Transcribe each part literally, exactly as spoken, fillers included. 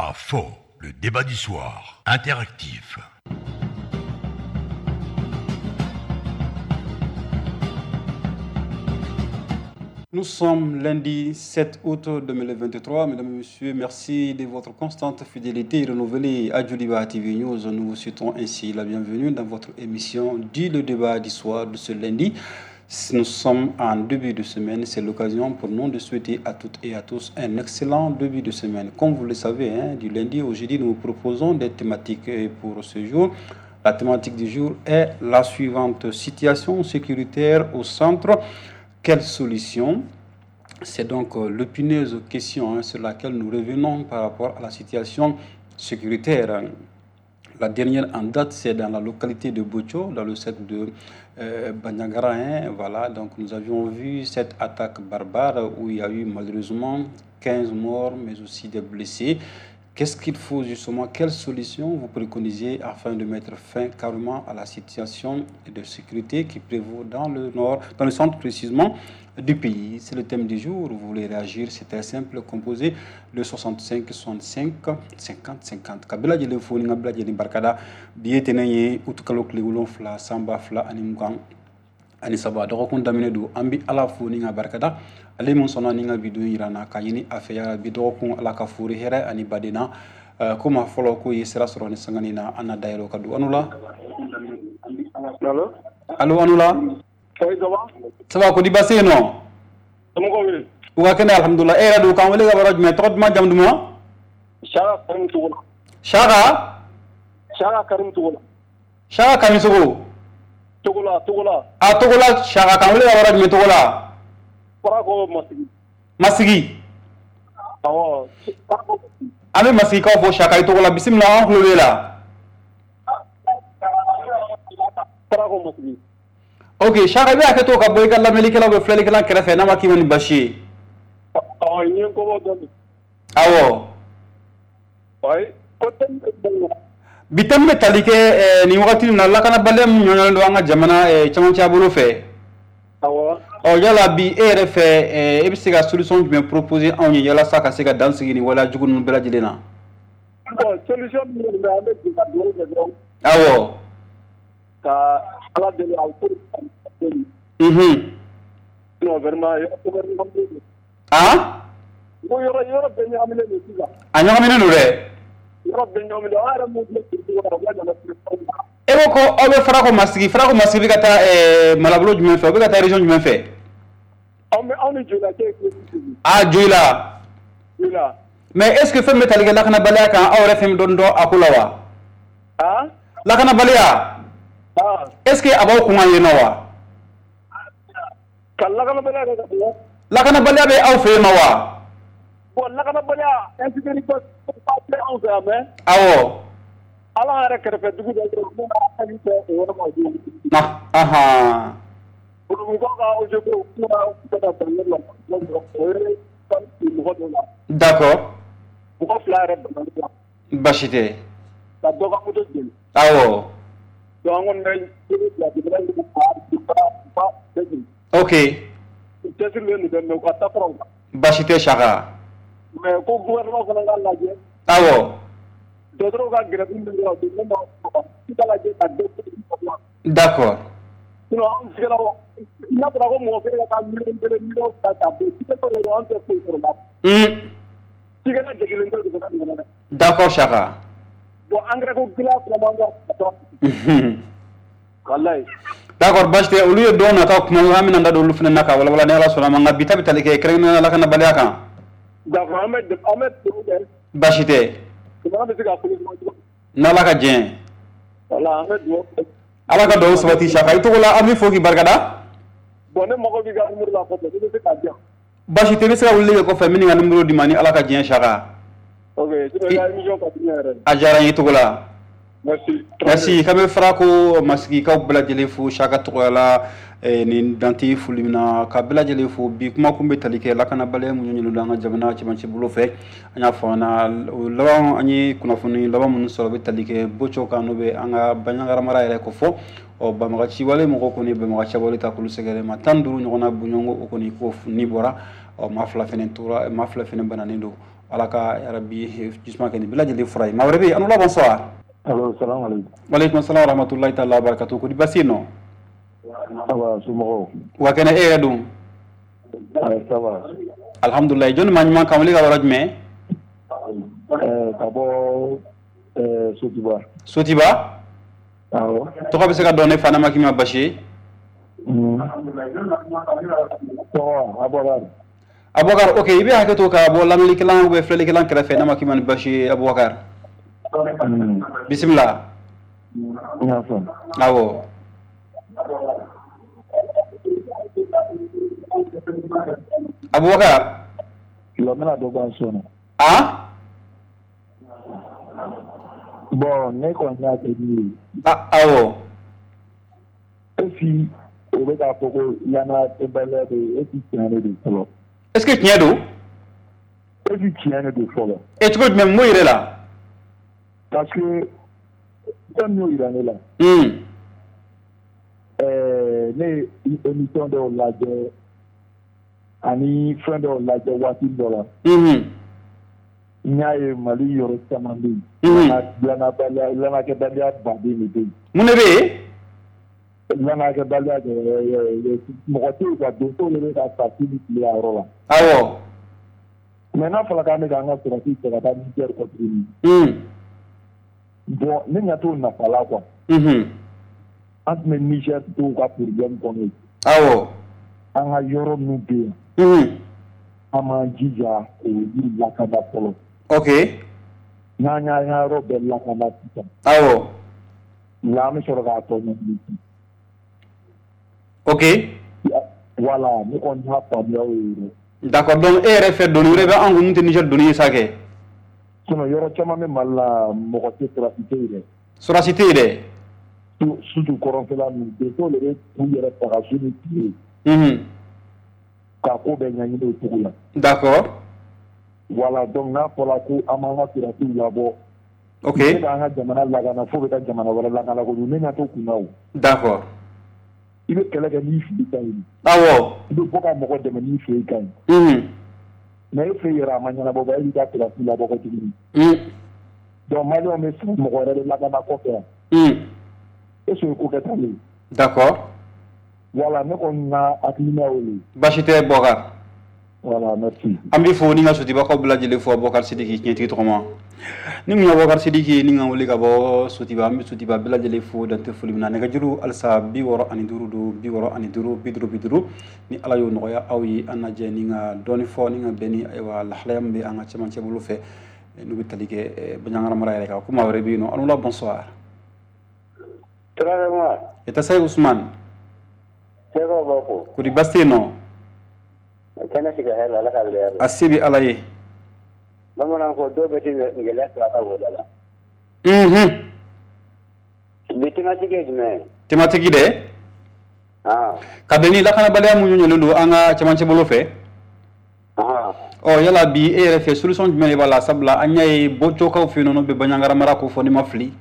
À fond, le débat du soir, interactif. Nous sommes lundi sept août deux mille vingt-trois. Mesdames et messieurs, merci de votre constante fidélité renouvelée à Djoliba T V News. Nous vous souhaitons ainsi la bienvenue dans votre émission dit le débat du soir de ce lundi. Nous sommes en début de semaine, c'est l'occasion pour nous de souhaiter à toutes et à tous un excellent début de semaine. Comme vous le savez, hein, du lundi au jeudi, nous vous proposons des thématiques pour ce jour. La thématique du jour est la suivante: situation sécuritaire au centre. Quelle solution? C'est donc l'épineuse question, hein, sur laquelle nous revenons par rapport à la situation sécuritaire. La dernière en date, c'est dans la localité de Bocho, dans le cercle de euh, Bandiagara. Hein, voilà, donc nous avions vu cette attaque barbare où il y a eu malheureusement quinze morts, mais aussi des blessés. Qu'est-ce qu'il faut justement, quelle solution vous préconisez afin de mettre fin carrément à la situation de sécurité qui prévaut dans le nord, dans le centre précisément du pays? C'est le thème du jour. Vous voulez réagir, c'est très simple, composé le soixante-cinq soixante-cinq cinquante cinquante. Kabila jeli fo ni kabila jeli barkada biye tenen ye utukalo tile wolonfila sanba fila ani mugan ani saba dɔgɔkun daminɛ don. An bɛ Ala fo ni ka barikada ale min sɔnna ni ka bi don yira n na ka ɲini a fɛ yarabi dɔgɔkun Ala ka fori hɛrɛ ani badenna. Ko maa fɔlɔ k'o ye sira sɔrɔ ni sangani na, an na dayɛlɛ o ka don. Anu la? Allo? Allo, anu la? Oui, ça va? Ça va, ko di baasi yen nɔ? Somɔgɔw bɛ yen? U ka kɛnɛ, alhamdulilah. E yɛrɛ don, k'an wele ka bɔ yɔrɔ jumɛn? Tɔgɔ duman, jamu duman? Saka Karim Togola. Saka? Saka Karim Togola. Saka Karim Togo? Togola, Togola. A Togola, Saka, k'an wele ka bɔ yɔrɔ jumɛn Togola? Farako Masigi. Masigi? Awɔ, Farako Masigi. An bɛ Masigikaw fo Saka i Togola, bisimila, an tulo b'e la. Farako Masigi. Ok, Saka, i bɛ hakɛ to ka bɔ i ka lamɛnnikɛlaw bɛ filɛlikɛla kɛrɛfɛ n'a ma k'i ma ni basi ye. Awɔ, n ye n kɔbɔ dɔɔnin. Awɔ. Ayi, ko thème bɛ bɔ. Bi thème bɛ tali kɛ nin wagati in na lakanabaliya min ɲɔɲɔlen don an ka jamana cɛmancɛ bolo fɛ. Awɔ. Ɔ yala bi e yɛrɛ fɛ e bɛ se ka solution jumɛn proposer anw ye yalasa ka se ka dan sigi nin waleya jugu ninnu bɛɛ lajɛlen na? Bon, solution min bɛ an bɛ jɛ ka dugawu kɛ dɔrɔn. Awɔ. Ka Ala deli a ko. Unhun. Non, vraiment, yɔrɔ gouvernement bɛ yen. Ah? N ko yɔrɔ yɔrɔ bɛɛ ɲagaminen don sisan. A ɲagaminen don dɛ. Yɔrɔ bɛɛ ɲagaminen don, an yɛrɛ mun filɛ dugu kɔnɔ, u ka jamana E ko ko aw bɛ Farako Masigi, Farako Masigi bɛ ka taa ɛɛ marabolo jumɛn fɛ? O bɛ ka taa région jumɛn fɛ? Anw bɛ anw ni Joyila cɛ ye kilo bi seegin. Ah, Joyila. Joyila. Mais est ce que fɛn bɛ tali kɛ lakanabaliya kan, aw yɛrɛ fɛn dɔɔni dɔn a ko la wa? Ah? Lakanabaliya. Ah. Est ce que a b'aw kun kan yen nɔ wa? Ka lakanabaliya kɛ ka bɔ. Lakanabaliya bɛ aw fɛ yen nɔ wa? Bon, lakanabaliya insécurité ba tɛ anw fɛ yan mais. Awɔ. Ala yɛrɛ kɛrɛfɛ dugu dɔ bɛ yen mun b'a hali fɛ o yɔrɔ ma joona. Na, ahan. Bulubugukaw ka O G P u kuma bɛ ka bɛn ne la o ye mɔgɔ dɔw la. D'accord. Mɔgɔ fila yɛrɛ bana la. Baasi tɛ. Ka dɔ ka moto jeni. Awɔ. Donc an kɔni bɛ bila jamana in ka ba bɛɛ jeni. Ok. U cɛsirilen don dɛ mais u ka taa fara u kan. Baasi tɛ Saka. Mais ko gouvernement fana k'a lajɛ. Awɔ. Dɔgɔtɔrɔw ka grève min kɛra o don ne ma i k'a lajɛ ka dɔ D'accord. Sinon anw sigila n'a fɔra ko mɔgɔ kelen ka taa miliyɔn kelen miliyɔn fila ta bi cikɛtɔ de an tɛ foyi sɔrɔ la. Un. Cikɛla degunnen tɛ jamana in kɔnɔ dɛ. D'accord Saka. Bon engrais ko gɛlɛya fana b'an kan. Unhun. Walayi. D'accord, baasi tɛ. Olu ye don nataw kuma an bɛna an da don olu fana na ka walawala ni Ala sɔnna ma, nka bi ta bɛ tali kɛ kɛrɛnkɛrɛnnenya lakanabaliya kan. D'accord, an bɛ an bɛ dugawu kɛ. Baasi tɛ. Jamana bɛ se ka kolo ɲuman cogo min. N'Ala ka jɛn. Wala an bɛ dugawu kɛ. Ala ka dugawu sabati Saka. I tɔgɔ la, an b'i fo k'i barikada. Bon, ne mago b'i ka numéro la kɔfɛ, ne bɛ se k'a di yan. Baasi tɛ, i bɛ se ka weleli kɛ kɔfɛ, n bɛ nin ka numéro d'i ma ni Ala ka jɛn Saka. Ok, sinon i ka émission ka di ne yɛrɛ ye. A diyara n ye i tɔgɔ la. Merci. Merci. K'an bɛ Farako Masigikaw bɛɛ lajɛlen fo Saka tɔgɔya la nin dante foli min na ka bɛɛ lajɛlen fo. Bi kuma kun bɛ tali kɛ lakanabaliya mun ɲɔɲɔlen don an ka jamana cɛmancɛ bolo fɛ. An y'a fɔ an na o laban, an ye kunnafoni laban minnu sɔrɔ bɛ tali kɛ Boco kan, n'o bɛ an ka Bandiagara mara yɛrɛ kofɔ. Ɔ banbagaci wale mɔgɔw kɔni banbagaci wale ta k'olu sɛgɛrɛ ma tan duuru ɲɔgɔnna bɔɲɔgɔnko o kɔni ko ni bɔra. Ɔ maa fila fɛnɛ tora, maa fila fɛnɛ bananen don. Ala ka yarabi jisuma kɛ nin bɛɛ lajɛlen fura ye. Maa wɛrɛ bɛ yen, an la, bonsoir. Allo, salam alaikum. Waleykum salam wa rahmatulahi taala wa barakatuh. Ko di, basi yen nɔ? Ça va, somɔgɔw? Wa kɛnɛ, e yɛrɛ dun? Ouais, ça va. Alhamdulilayi. Jɔnni maa ɲuman kan wele ka yɔrɔ jumɛn? Euh, ka bɔ euh, Sotiba. Sotiba? Awɔ. Tɔgɔ bɛ se ka dɔn ne fa n'a ma k'i ma basi ye? Mm. Tɔgɔ Abubakar. Abubakar, ok, i bɛ hakɛ to ka bɔ lamɛnnikɛlan ou bien filɛlikɛlan kɛrɛfɛ n'a ma k'i ma ni basi ye, Abubakar. Mm. Bisimila. N y'a faamu. Awɔ. Abubakar. Lɔ, n bɛna dɔ bɔ an sɔn na. Ah? Bon, ne kɔni y'a kɛ min ye. Ah, awɔ. Est-ce o bɛ k'a fɔ ko lanakɛbaliya bɛ yen, est-ce tiɲɛ de don fɔlɔ? Est-ce que tiɲɛ don? Est-ce tiɲɛ de don fɔlɔ? E cogo jumɛn, mun yɛrɛ la? Parce que fɛn min y'o yira ne la. Hmm. Ɛɛ, ne ye émission dɔw lajɛ ani fɛn dɔw lajɛ waati dɔ la. Mhm. N y'a ye Mali yɔrɔ caman bɛ yen. Mhm. Lanabaliya, lanakɛbaliya baden de bɛ yen. Mun de bɛ yen? Lanakɛbaliya, mɔgɔ tɛ yen ka donsow de bɛ ka sa su ni tile a yɔrɔ la. Awɔ. Mais n'a fɔra k'an bɛ k'an ka sɔrɔdasiw cɛ ka taa Niger kɔ tuguni. Hmm. Bon, ne ɲɛ t'o nafa la quoi. Mhm. An tun bɛ Niger dɔw ka problème kɔnɔ yen. Awɔ. An ka yɔrɔ minnu bɛ yen. Mhm. An m'an jija k'olu lakana fɔlɔ. Ok. N'an y'an ka yɔrɔ bɛɛ lakana sisan. Awɔ. La, an bɛ sɔrɔ k'a tɔ ɲɛɲini. Ok. Voilà, ne kɔni y'a faamuya o ye dɛ. D'accord, donc e yɛrɛ fɛ doni wɛrɛ bɛ an kun mun tɛ Niger doni ye sa kɛ? Sinon yɔrɔ caman bɛ Mali la, mɔgɔ tɛ, sɔrɔdasi tɛ yen dɛ. Sɔrɔdasi tɛ yen dɛ. Surtout kɔrɔnfɛla ninnu, donsow de bɛ k'u yɛrɛ faga su ni tile. Mhm. K'a ko bɛɛ ɲɛɲini o cogo la. D'accord. Voilà, donc n'a fɔra ko an b'an ka sɔrɔdasiw labɔ. Ok. Ne k'an ka jamana lakana fo bɛ taa jamana wɛrɛ lakana kojugu, ne ɲɛ t'o kun na o. D'accord. I bɛ kɛlɛ kɛ n'i fili ka ɲi. Awɔ. I bɛ bɔ ka mɔgɔ dɛmɛ n'i fɛ ka ɲi. Mhm. Mais e fɛ yɛrɛ a ma ɲɛnabɔ ba, e b'i ka sɔrɔdasi labɔ kɔ tuguni. Mhm. Donc maliyɛnw bɛ siran mɔgɔ wɛrɛ de lakana kɔfɛ yan. Mhm. Est ce que ko kɛta le ye? D'accord. Voilà, ne kɔni ka hakilina y'o ye. Baasi tɛ, Bɔkar. Voilà, merci. An b'i fo ni ka Sotibakaw bɛɛ lajɛlen fo. Bɔkar Sidiki, tiɲɛtigi tɔgɔma ni mun ye Bɔkar Sidiki ni ka wele ka bɔ Sotiba, an bɛ Sotiba bɛɛ lajɛlen fo dantɛ foli min na. Nɛgɛjuru halisa bi wɔɔrɔ ani duuru don, bi wɔɔrɔ ani duuru, bi duuru bi duuru. Ni Ala y'o nɔgɔya aw ye, an lajɛ ni ka dɔɔni fɔ ni ka bɛn ni ayiwa lahalaya min bɛ an ka cɛmancɛ bolo fɛ n'u bɛ tali kɛ Bandiagara mara yɛrɛ kan. Ko maa wɛrɛ bɛ yen nɔ. Allo, bonsoir. Traoré. Eta sai Usman. Seko boko. Kodi basi tɛ yen nɔ? Kɛnɛ sigi hɛrɛ la, Ala ka wuli hɛrɛ la. A se bɛ Ala ye. Bamananw ko dɔw bɛ ti gɛlɛya sɔrɔ a ka woda la. Mhm. Bi thématique ye jumɛn ye? Thématique dɛ? Ah. Ka bɛn ni lakanabaliya mun ɲɔlen don an ka cɛmancɛ bolo fɛ. Ah. Ɔ yala bi e yɛrɛ fɛ, solution jumɛn de b'a la? Sabula an y'a ye bɔcokaw fɛ yen nɔ, n'o bɛ Bandiagara mara ko fɔ, n'i ma fili.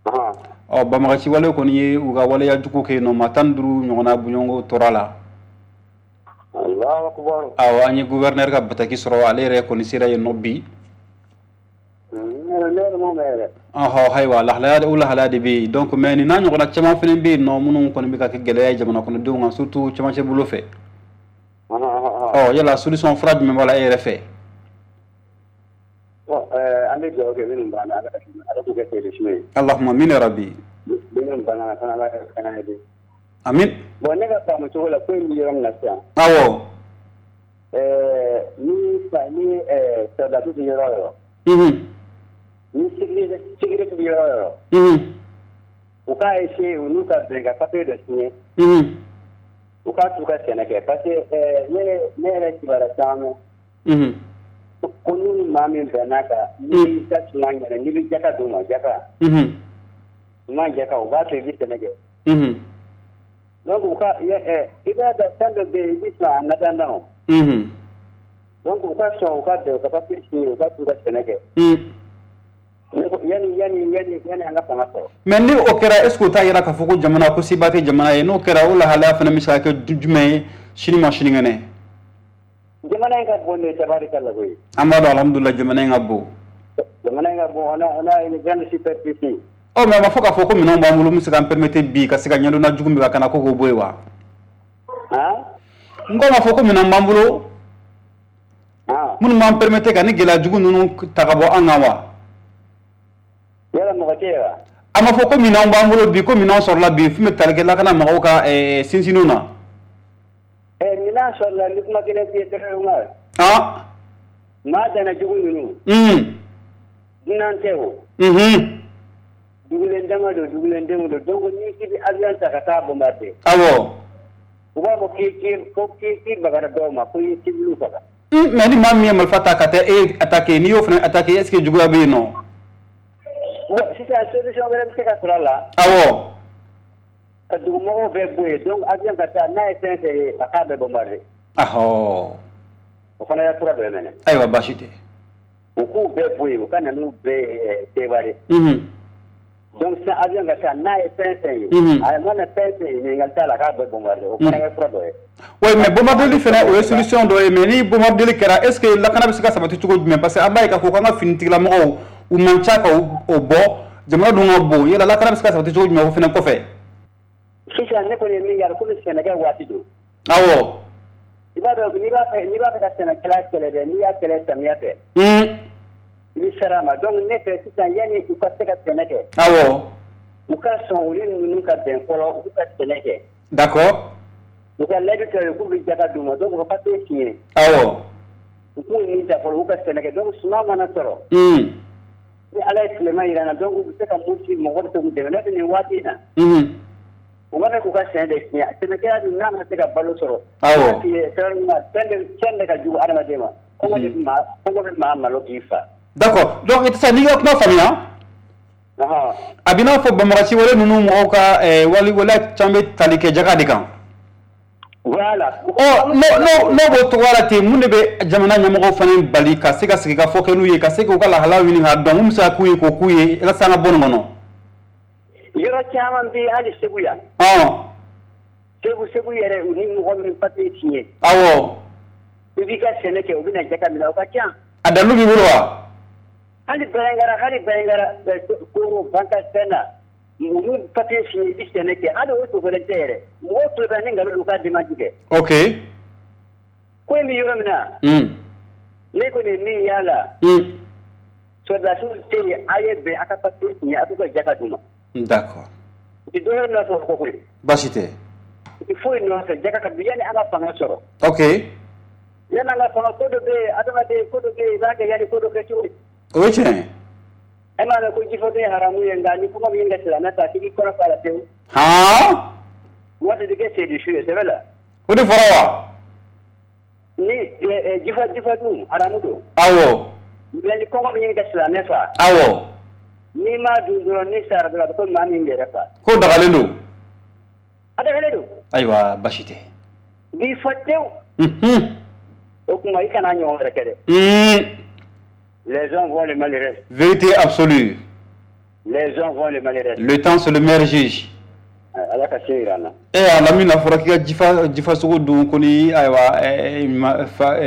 Ah. Ɔ banbagaci wale kɔni ye u ka waleya jugu kɛ yen nɔ, maa tan ni duuru ɲɔgɔnna bɔɲɔgɔnko tora la. Allahu akbar. Awɔ, an ye gouverneur ka bataki sɔrɔ, ale yɛrɛ kɔni sera yen nɔ bi. Ne yɛrɛ m'o mɛn yɛrɛ. Ɔhɔ, ayiwa lahalaya o lahalaya de bɛ yen donc, mais nin n'a ɲɔgɔnna caman fana bɛ yen nɔ minnu kɔni bɛ ka kɛ gɛlɛya ye jamana kɔnɔdenw kan, surtout cɛmancɛ bolo fɛ. Ɔ yala solution, fura jumɛn b'a la e yɛrɛ fɛ? Bon, euh, an bɛ dugawu kɛ minnu banna, Ala Ala k'u kɛ seere suma ye. Allahumma amin ya rabbi. Minnu banna fana, Ala ka kana ye. Amin. Bon, ne ka faamu cogo la, ko in bɛ yɔrɔ min na sisan. Awɔ. Ɛɛ, ni fa ni ɛɛ sɔrɔdasi tɛ yɔrɔ o yɔrɔ. Mhm. Ni sécurité sécurité bɛ yɔrɔ o yɔrɔ. Mhm. U k'a essayer u n'u ka bɛn ka papier dɔ signer. Mhm. U k'a t'u ka sɛnɛ kɛ parce que ɛɛ ne ne yɛrɛ kibaruya caman mɛn. Mhm. Ko n'u ni maa min bɛnna kan, n'i ka suma ɲɛna, n'i bɛ jaka d'u ma, jaka. Mhm. Suma jaka, u b'a to i bɛ sɛnɛ kɛ. Mhm. Donc u ka ɛ i b'a dɔn fɛn dɔ bɛ yen, i bɛ sɔn a natanda o. Mhm. Donc u ka sɔn u ka bɛn, u ka papier signer, u ka t'u ka sɛnɛ kɛ. Mhm. Yanni yanni yanni yanni an ka fanga sɔrɔ. Mais ni o kɛra, est ce que o t'a yira k'a fɔ ko jamana ko seba tɛ jamana ye? N'o kɛra, o lahalaya fana bɛ se ka kɛ jumɛn ye sini ma sinikɛnɛ? Jamana Jamana in ka bon de tabarikala koyi. An b'a dɔn alhamdulillah jamana in ka bon. Jamana in ka bon, on a on a une grande superficie. Ɔ mais a ma fɔ k'a fɔ ko minɛnw b'an bolo min bɛ se k'an permettre bi ka se ka ɲɛdɔnna jugu min ka na ko k'o bɔ yen wa? Han? N ko a ma fɔ ko minɛnw b'an bolo. Han. Minnu b'an permettre ka ni gɛlɛya jugu ninnu ta ka bɔ an kan wa? Yala mɔgɔ tɛ yen wa? A ma fɔ ko minɛnw b'an bolo bi ko minɛnw sɔrɔla bi fɛn bɛ tali kɛ lakana mɔgɔw ka sinsinniw na. Ɛ minɛn sɔrɔla ni kuma kelen f'i ye Umar. Han. Maa dana jugu ninnu. Un. Dunan tɛ o. Unhun. Dugulen dama don dugulen denw don donc n'i k'i bɛ avion ta ka taa bombarder. Awɔ. U b'a fɔ k'i k'i ko k'i k'i bagara dɔw ma ko i ye civil faga. Mais ni maa min ye marifa ta ka taa e attaquer n'i y'o fana attaquer est ce que juguya bɛ yen nɔ? Bon sisan solution wɛrɛ bɛ se ka sɔrɔ a la. Awɔ. Ka dugumɔgɔw bɛɛ bɔ yen donc avion ka taa n'a ye fɛn fɛn ye a k'a bɛɛ bombarder. Ahɔ. O fana ye fura dɔ ye mɛnɛ. Ayiwa baasi tɛ. U k'u bɛɛ bɔ yen u ka na n'u bɛɛ ye Seware. Unhun. Donc sisan avion ka taa n'a ye fɛn fɛn ye. Unhun. A mana fɛn fɛn ye ɲininkali t'a la k'a bɛɛ bombarder o fana ye fura dɔ ye. Oui mais bombardeli fana o ye solution dɔ ye mais ni bombardeli kɛra est ce que lakana bɛ se ka sabati cogo jumɛn parce que an b'a ye k'a fɔ k'an ka finitigilamɔgɔw u man ca ka o bɔ jamana dun ka bon yala lakana bɛ se ka sabati cogo jumɛn o fana kɔfɛ. Sisan ne kɔni ye min y'a komi sɛnɛkɛ waati don. Awɔ. I b'a dɔn n'i b'a fɛ n'i b'a fɛ ka sɛnɛkɛla kɛlɛ dɛ n'i y'a kɛlɛ samiya fɛ. Un. I bɛ sara a ma donc ne fɛ sisan yanni u ka se ka sɛnɛ kɛ. Awɔ. U ka sɔn olu ninnu ka bɛn fɔlɔ u ka sɛnɛ kɛ. D'accord. U ka layidu ta ye k'u bɛ jaga d'u ma donc u ka papier signé. Awɔ. U k'u nin ta fɔlɔ u ka sɛnɛ kɛ donc suman mana sɔrɔ. Un. Ni Ala ye tilema jira n na donc u bɛ se ka mun ci mɔgɔ bɛ se k'u dɛmɛ n'o tɛ nin waati in na. Unhun. U b'a fɛ k'u ka sɛnɛ de tiɲɛ sɛnɛkɛla dun n'a ma se ka balo sɔrɔ. Awɔ. Fɛn de fɛn de ka jugu adamaden ma kɔngɔ de bɛ maa kɔngɔ bɛ maa malo k'i fa. D'accord donc i tɛ se n'i ka kuma faamuya. A bɛ n'a fɔ banbagaci wale ninnu mɔgɔw ka wali waleya caman bɛ tali kɛ jaga de kan. Voilà. Ɔ n'o n'o n'o b'o cogoya la ten mun de bɛ jamana ɲɛmɔgɔw fana bali ka se ka sigi ka fɔ kɛ n'u ye ka se k'u ka lahalaw ɲini k'a dɔn mun bɛ se ka k'u ye k'o k'u ye walasa an ka bɔ nin kɔnɔ. Yɔrɔ caman bɛ yen hali Segu yan. Ɔn. Segu Segu yɛrɛ u ni mɔgɔ min papiye signé. Awɔ. I b'i ka sɛnɛ kɛ u bɛ na jaga minɛ o ka ca. A dalilu b'i bolo wa? Hali Bɛlɛngara hali Bɛlɛngara Koro Bankasɛn na olu papiye signé i bɛ sɛnɛ kɛ hali o dogolen tɛ yɛrɛ mɔgɔw tulo bɛ ni nkalon don u k'a démenti kɛ. Ok. Ko in bɛ yɔrɔ min na. Un. Ne kɔni ye min y'a la. Un. Sɔrɔdasiw tɛ yen a ye bɛn a ka papiye signé a k'u ka jaga d'u ma. D'accord. U tɛ dɔwɛrɛ nɔfɛ o kɔ koyi. Baasi tɛ. U tɛ foyi nɔfɛ jaga ka di yanni an ka fanga sɔrɔ. Ok. Yanni an ka fanga ko dɔ bɛ yen adamaden ko dɔ bɛ yen i b'a kɛ yanni ko dɔ kɛ cogo di. O ye tiɲɛ ye. E m'a mɛn ko jifɔden ye haramu ye nka ni kɔngɔ bɛ ɲini ka silamɛ ta k'i b'i kɔnɔ fa la pewu. Han. Waati de kɛ seyidu su ye sɛbɛ la. O de fɔra wa? Ni jifa jifa dun haramu don. Awɔ. Mais ni kɔngɔ bɛ ɲini ka silamɛ fa. Awɔ. N'i m'a dun dɔrɔn ni sara dɔrɔn a bɛ komi maa min yɛrɛ fa. Ko dagalen don. A dagalen don. Ayiwa baasi tɛ. B'i fɔ tewu. Unhun. O tuma i kana ɲɔgɔn wɛrɛ kɛ dɛ. Un. Les gens vont le malheureux. Vérité absolue. Les gens vont le malheureux. Le temps c'est le meilleur juge. Ala ka se yira an na. Eh Lamine a fɔra k'i ka jifa jifa sogo dun ko ni ayiwa fa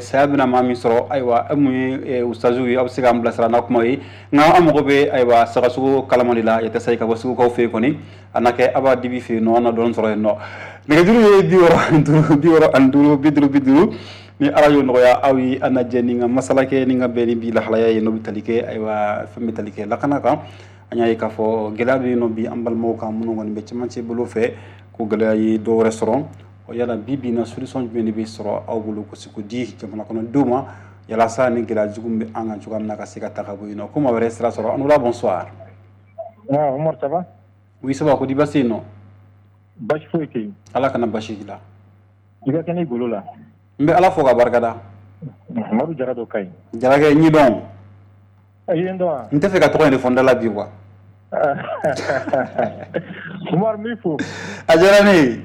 saya bɛna maa min sɔrɔ ayiwa e mun ye ustaziw ye aw bɛ se k'an bilasira n'a kuma ye nka an mago bɛ ayiwa sagasogo kalaman de la yɛtɛ sayi ka bɔ segukaw fɛ yen kɔni a na kɛ a b'a dibi fɛ yen nɔ an na dɔɔnin sɔrɔ yen nɔ nɛgɛjuru ye bi wɔɔrɔ ani duuru bi wɔɔrɔ ani duuru bi duuru bi duuru ni ala y'o nɔgɔya aw ye an na jɛ ni ka masala kɛ ni ka bɛn ni bi lahalaya ye n'o bɛ tali kɛ ayiwa fɛn bɛ tali kɛ lakana kan. An y'a ye k'a fɔ gɛlɛya bɛ yen nɔ bi an balimaw kan minnu kɔni bɛ cɛmancɛ bolo fɛ ko gɛlɛya ye dɔw wɛrɛ sɔrɔ o yala bi bi in na solution jumɛn de bɛ sɔrɔ aw bolo ko se k'o di jamana kɔnɔdenw ma yalasa ni gɛlɛya jugu bɛ an kan cogoya min na ka se ka ta ka bɔ yen nɔ ko maa wɛrɛ sira sɔrɔ an wula bonsoir. Ah Omar ça va? Oui ça va ko di baasi yen nɔ? Baasi foyi tɛ yen. Ala kana baasi k'i la. I ka kɛnɛ i golo la. N bɛ Ala fo k'a barikada. Madu Jara dɔ ka ɲi. Jarakɛ n y'i dɔn. I ye n dɔn wa? N tɛ fɛ ka tɔgɔ in de fɔ n da la bi quoi. Umar n b'i fo. A diyara ne ye.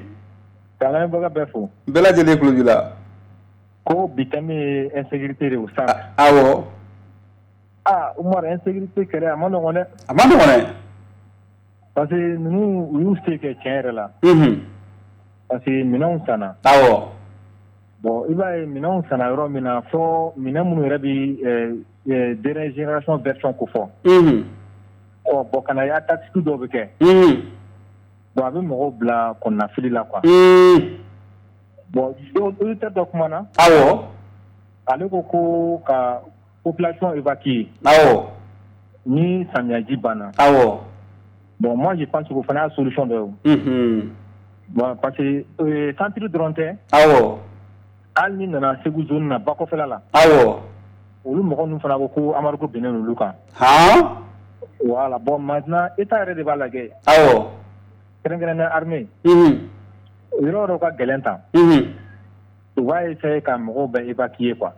K'an lamɛnbaga bɛɛ fo. Bɛɛ lajɛlen tulo b'i la. Ko bi thème ye insécurité de ye au centre. Awɔ. Ah Umar insécurité kɛlɛ a ma nɔgɔn dɛ. A ma nɔgɔn dɛ. Parce que ninnu u y'u se kɛ tiɲɛ yɛrɛ la. Unhun. Parce que minɛnw sanna. Awɔ. Bon, i b'a ye minɛnw sanna yɔrɔ min na, fɔ minɛn minnu yɛrɛ bɛ dernière génération version ko fɔ. Ɔ bon, ka na ye tactique dɔw bɛ kɛ. Bon, a bɛ mɔgɔw bila kɔnɔnafili la quoi. Bon, auditeur dɔ kumana. Awɔ. Ale ko ko ka population évacuer. Awɔ. Ni samiyaji banna. Awɔ. Bon, moi je pense que o fana y'a solution dɔ ye o. Bon, parce que centre dɔrɔn tɛ. Awɔ. Hali ni nana Segu zone na, bakɔfɛla la. Awɔ. Olu mɔgɔ ninnu fana ko ko embargo binnen olu kan. Han. Voilà, bon, maintenant État yɛrɛ de b'a lajɛ. Awɔ. Kɛrɛnkɛrɛnnenya armée. Yɔrɔ dɔw ka gɛlɛn tan. U b'a essayer ka mɔgɔw bɛɛ évacuer quoi.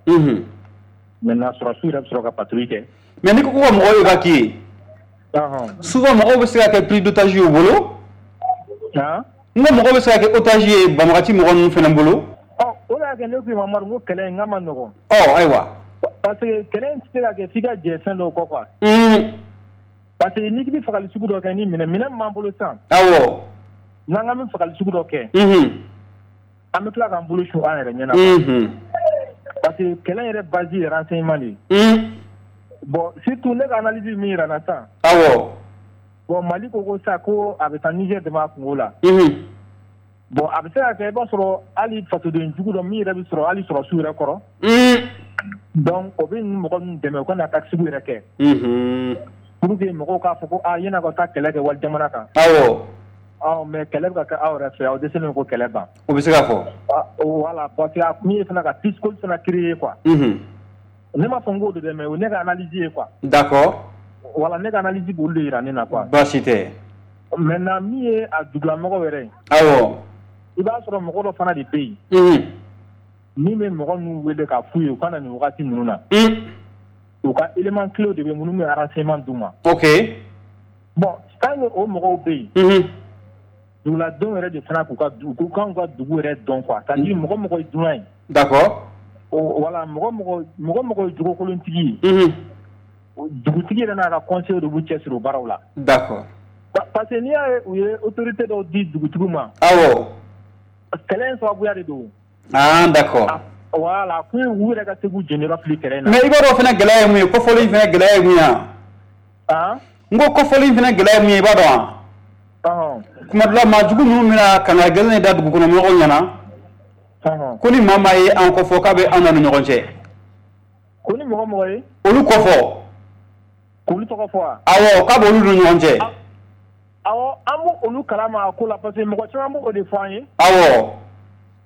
Maintenant sɔrɔdasiw yɛrɛ bɛ sɔrɔ ka patrouille kɛ. Mais n'i ko ko ka mɔgɔw évacuer. Souvent mɔgɔw bɛ se ka kɛ pris d'otage ye u bolo. Han. N ko mɔgɔw bɛ se ka kɛ otage ye banbagaci mɔgɔ ninnu fana bolo. Ɔ, o de y'a kɛ ne ko i ma Amadu, n ko kɛlɛ in k'a ma nɔgɔn. Ɔ ayiwa. Parce que kɛlɛ in tɛ se ka kɛ f'i ka jɛ fɛn dɔw kɔ quoi. Parce que n'i bɛ fagali sugu dɔ kɛ, ni minɛ minɛ min b'an bolo sisan. Awɔ. N'an k'an bɛ fagali sugu dɔ kɛ. An bɛ tila k'an bolo su an yɛrɛ ɲɛna. Parce que kɛlɛ yɛrɛ base ye renseignement de ye. Bon, surtout ne ka analyse min yira n na sisan. Awɔ. Bon, Mali ko ko sisan ko a bɛ taa Niger dɛmɛ a kungo la. Bon, a bɛ se ka kɛ i b'a sɔrɔ hali fasoden jugu dɔ min yɛrɛ bɛ sɔrɔ hali sɔrɔsiw yɛrɛ kɔrɔ. Donc o bɛ nin mɔgɔ ninnu dɛmɛ u ka na tactique yɛrɛ kɛ. Pour que mɔgɔw k'a fɔ ko aa, yan'a ka taa kɛlɛ kɛ wali jamana kan. Awɔ. Ɔ, mais kɛlɛ bɛ ka kɛ aw yɛrɛ fɛ, aw dɛsɛlen ko kɛlɛ ban. O bɛ se ka fɔ. Voilà, parce que a kun ye fana ka psychose fana créer quoi. Ne m'a fɔ n k'o de dɛ, mais o ne ka analyse ye quoi. D'accord. Voilà, ne ka analyse b'olu de yira ne na quoi. Baasi tɛ. Maintenant min ye a dugulamɔgɔw yɛrɛ ye. Awɔ. I b'a sɔrɔ mɔgɔ dɔ fana de bɛ yen. Min bɛ mɔgɔ ninnu wele k'a f'u ye u ka na nin wagati ninnu na. U ka élément clé de bɛ minnu bɛ renseignement d'u ma. Ok. Bon, tant que o mɔgɔw bɛ yen. Duguladenw yɛrɛ de fana k'u ka u kan ka dugu yɛrɛ dɔn quoi. C'est à dire mɔgɔ mɔgɔ ye dunan ye. D'accord. Voilà, mɔgɔ mɔgɔ mɔgɔ mɔgɔ ye jogokolontigi ye. Dugutigi yɛrɛ n'a ka conseil de b'u cɛsiri o baaraw la. D'accord. Parce que n'i y'a ye u ye autorité dɔw di dugutigiw ma. Awɔ. Kɛlɛ in sababuya de don. Ah, d'accord. Voilà, kun u yɛrɛ ka se k'u jeniyɔrɔ fili kɛlɛ in na. Mais i b'a dɔn fana gɛlɛya ye mun ye, kɔfɔli in fana gɛlɛya ye mun ye wa? Han. N ko kɔfɔli in fana gɛlɛya ye mun ye, i b'a dɔn wa? Ɔhɔn. Kuma dɔ la maa jugu ninnu bɛna kangari gɛlɛn de da dugukɔnɔmɔgɔw ɲɛna. Ko ni maa maa ye an kɔfɔ k'a bɛ an n'u ni ɲɔgɔn cɛ. Ko ni mɔgɔ mɔgɔ ye? Olu kɔfɔ. K'olu tɔgɔ fɔ wa? Awɔ, k'a b'olu ni ɲɔgɔn cɛ. Awɔ, an b'olu kalama a ko la parce que mɔgɔ caman b'o de fɔ an ye. Awɔ.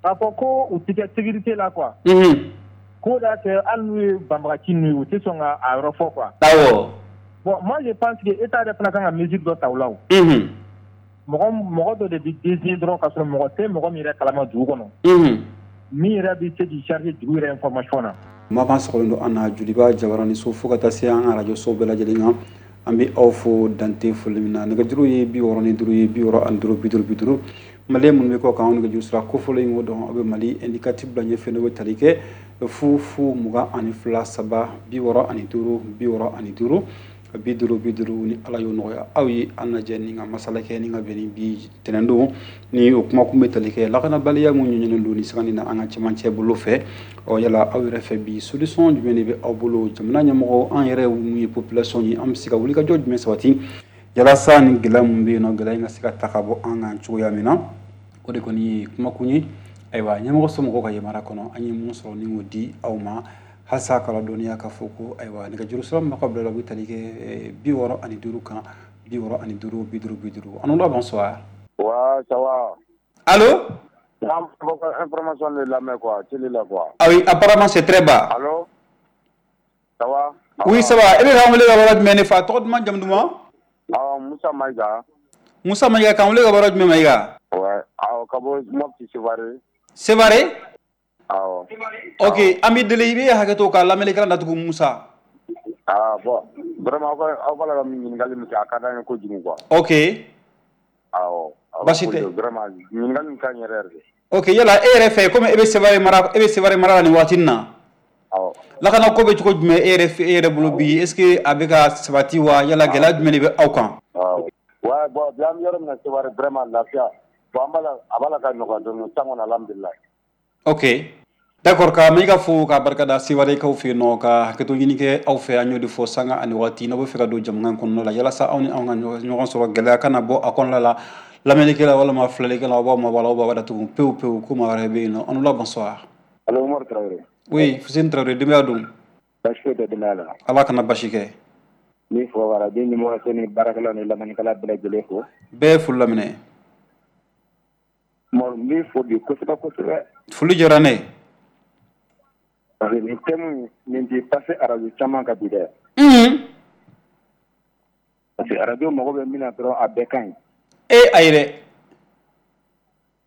K'a fɔ ko u tɛ kɛ sécurité la quoi. Unhun. K'o de y'a kɛ hali n'u ye banbagaci ninnu ye, u tɛ sɔn ka a yɔrɔ fɔ quoi. Awɔ. Bon, moi je pense que État yɛrɛ fana kan ka mesure dɔ ta o la o. Unhun. Mɔgɔ mɔgɔ dɔ de bɛ désigner dɔrɔn k'a sɔrɔ mɔgɔ tɛ mɔgɔ min yɛrɛ kalama dugu kɔnɔ. Unhun. Min yɛrɛ bɛ se k'i charger dugu yɛrɛ information na. Maa b'an sɔgɔlen don an na Joliba Jabaraninso fo ka taa se an ka radio so bɛɛ lajɛlen kan. An bɛ aw fo dante foli min na. Nɛgɛjuru ye bi wɔɔrɔ ni duuru ye, bi wɔɔrɔ ani duuru, bi duuru bi duuru. Malien minnu bɛ kɔ kan, anw nɛgɛjuru sira kofɔlen in o dɔn, aw bɛ Mali indicatif bila ɲɛfɛ, n'o bɛ tali kɛ fu fu mugan ani fila saba bi wɔɔrɔ ani duuru bi wɔɔrɔ ani duuru bi duuru bi duuru. Ni Ala y'o nɔgɔya aw ye, an lajɛ ni ka masala kɛ ni ka bɛn ni bi tɛnɛn don ni o kuma kun bɛ tali kɛ lakanabaliya mun ɲɛɲininen don ni sanga na an ka cɛmancɛ bolo fɛ. Ɔ, yala aw yɛrɛ fɛ bi solution jumɛn de bɛ aw bolo? Jamana ɲɛmɔgɔ, an yɛrɛ mun ye population ye, an bɛ se ka wulikajɔ jumɛn sabati yalasa ni gɛlɛya mun bɛ yen nɔ, gɛlɛya in ka se ka ta ka bɔ an kan cogoya min na? O de kɔni ye kumakun ye. Ayiwa, ɲɛmɔgɔ somɔgɔw ka yamaruya kɔnɔ, an ye mun sɔrɔ ni k'o di aw ma halisa k'a ladɔnniya k'a fɔ ko ayiwa, nɛgɛjuru sira min b'aw ka bila la, o bɛ tali kɛ bi wɔɔrɔ ani duuru kan, bi wɔɔrɔ ani duuru bi duuru bi duuru. Anoula, bonsoir. Ouais, ça va. Allô? Information de lamɛn quoi, télé la quoi. Ah oui, apparemment c'est très bas. Allô? Ça va? Oui, ça va. E bɛ k'an wele ka bɔ yɔrɔ jumɛn ne fa? Tɔgɔ duman, jamu duman? Ah, Musa Maïga. Musa Maïga, k'an wele ka bɔ yɔrɔ jumɛn, Maïga? Ouais, awɔ, ka bɔ Mopti Sévaré. Sévaré? Awɔ. Ok, an b'i deli, i bɛ hakɛ to ka lamɛnnikɛla datugu, Musa. Ah bon, vraiment aw ka aw b'a la ka ɲininkali min kɛ, a ka d'an ye kojugu quoi. Ok. Awɔ. Baasi tɛ. Vraiment ɲininkali min ka ɲi yɛrɛ yɛrɛ de. Ok, yala e yɛrɛ fɛ, komi e bɛ Sévaré mara, e bɛ Sévaré mara la nin waati in na. Awɔ. Lakana ko bɛ cogo jumɛn e yɛrɛ fɛ, e yɛrɛ bolo bi? Est ce que a bɛ ka sabati wa? Yala gɛlɛya jumɛn de bɛ aw kan? Awɔ. Ouais, bon, bi an bɛ yɔrɔ min na Sévaré, vraiment lafiya. Bon, an b'a la, a b'a la ka nɔgɔya dɔɔnin sisan kɔni, alhamdulilayi. Ok. D'accord ka Mayiga fo ka barika da Sewarekaw fɛ yen nɔ ka hakɛto ɲini kɛ aw fɛ an y'o de fɔ sanga ani waati n'aw bɛ fɛ ka don jamukan kɔnɔna la yalasa aw ni anw ka ɲɔgɔn sɔrɔ gɛlɛya kana bɔ a kɔnɔna la lamɛnnikɛla walima filɛlikɛla aw b'aw mabɔ a la aw b'a datugu pewu pewu ko maa wɛrɛ bɛ yen nɔ an la bonsoir. Allo Umaru Traoré. Oui, Fuseni Traoré denbaya dun? Baasi foyi tɛ denbaya la. Ala kana basi kɛ. N b'i fo radio ɲɛmɔgɔso ni baarakɛlaw ni lamɛnnikɛla bɛɛ lajɛlen fo. Bɛɛ ye foli laminɛ. Umaru n b'i fo bi kosɛbɛ kosɛbɛ. Foli diyara ne ye. Parce que nin thème nin tɛ passé radio caman kan bi dɛ. Unhun. Parce que radio mago bɛ min na dɔrɔn a bɛɛ ka ɲi. E ayi dɛ.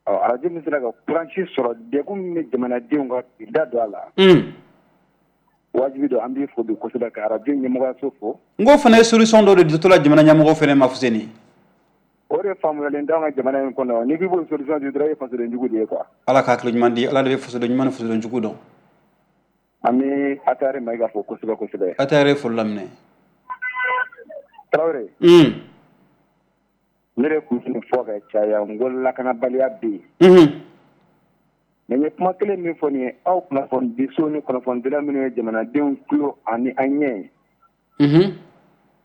Ɔ radio min sera ka courage sɔrɔ degun min bɛ jamanadenw kan k'i da don a la. Un. Wajibi don an b'i fo bi kosɛbɛ ka radio ɲɛmɔgɔyaso fo. N ko fana ye solution dɔ de ditɔ la jamana ɲɛmɔgɔ fana ma Fuseni. O de faamuyalen t'anw ka jamana in kɔnɔ n'i k'i b'o solution di dɔrɔn e ye fasoden jugu de ye quoi. Ala ka hakili ɲuman di Ala de bɛ fasoden ɲuman ni fasoden jugu dɔn. An bɛ Atare Mayiga fo kosɛbɛ kosɛbɛ. Atare foli laminɛ. Traoré. Un. Ne de tun bɛ nin fɔ ka caya n ko lakanabaliya bɛ yen. Unhun. Mais n ye kuma kelen min fɔ nin ye aw kunnafonidiso ni kunnafonidila minnu ye jamanadenw tulo ani an ɲɛ ye. Unhun.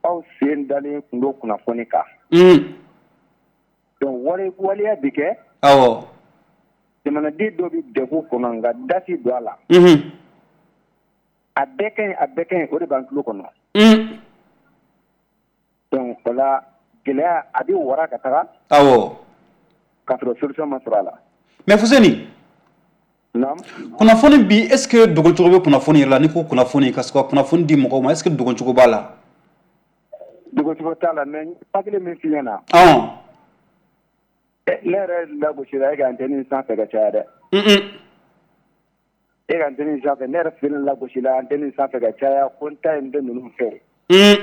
Aw sen dalen tun don kunnafoni kan. Un. Donc wale waleya bɛ kɛ. Awɔ. Jamanaden dɔ bɛ degun kɔnɔ nka da tɛ don a la. Unhun. A bɛɛ ka ɲi a bɛɛ ka ɲi o de b'an tulo kɔnɔ. Un. Donc o la gɛlɛya a bɛ wara ka taga. Awɔ. K'a sɔrɔ solution ma sɔrɔ a la. Mais Fuseni. Naamu. Kunnafoni bi est ce que dogocogo bɛ kunnafoni yɛrɛ la n'i ko kunnafoni ka se ka kunnafoni di mɔgɔw ma est ce que dogocogo b'a la. Dogocogo t'a la mais n ye kelen min f'i ɲɛna. Ɔn. Ne yɛrɛ lagosira e ka antenne sanfɛ ka caya dɛ. Un. E ka antenne sanfɛ ne yɛrɛ fɛnɛ lagosila antenne sanfɛ ka caya ko n ta ye n tɛ ninnu fɛ. Un.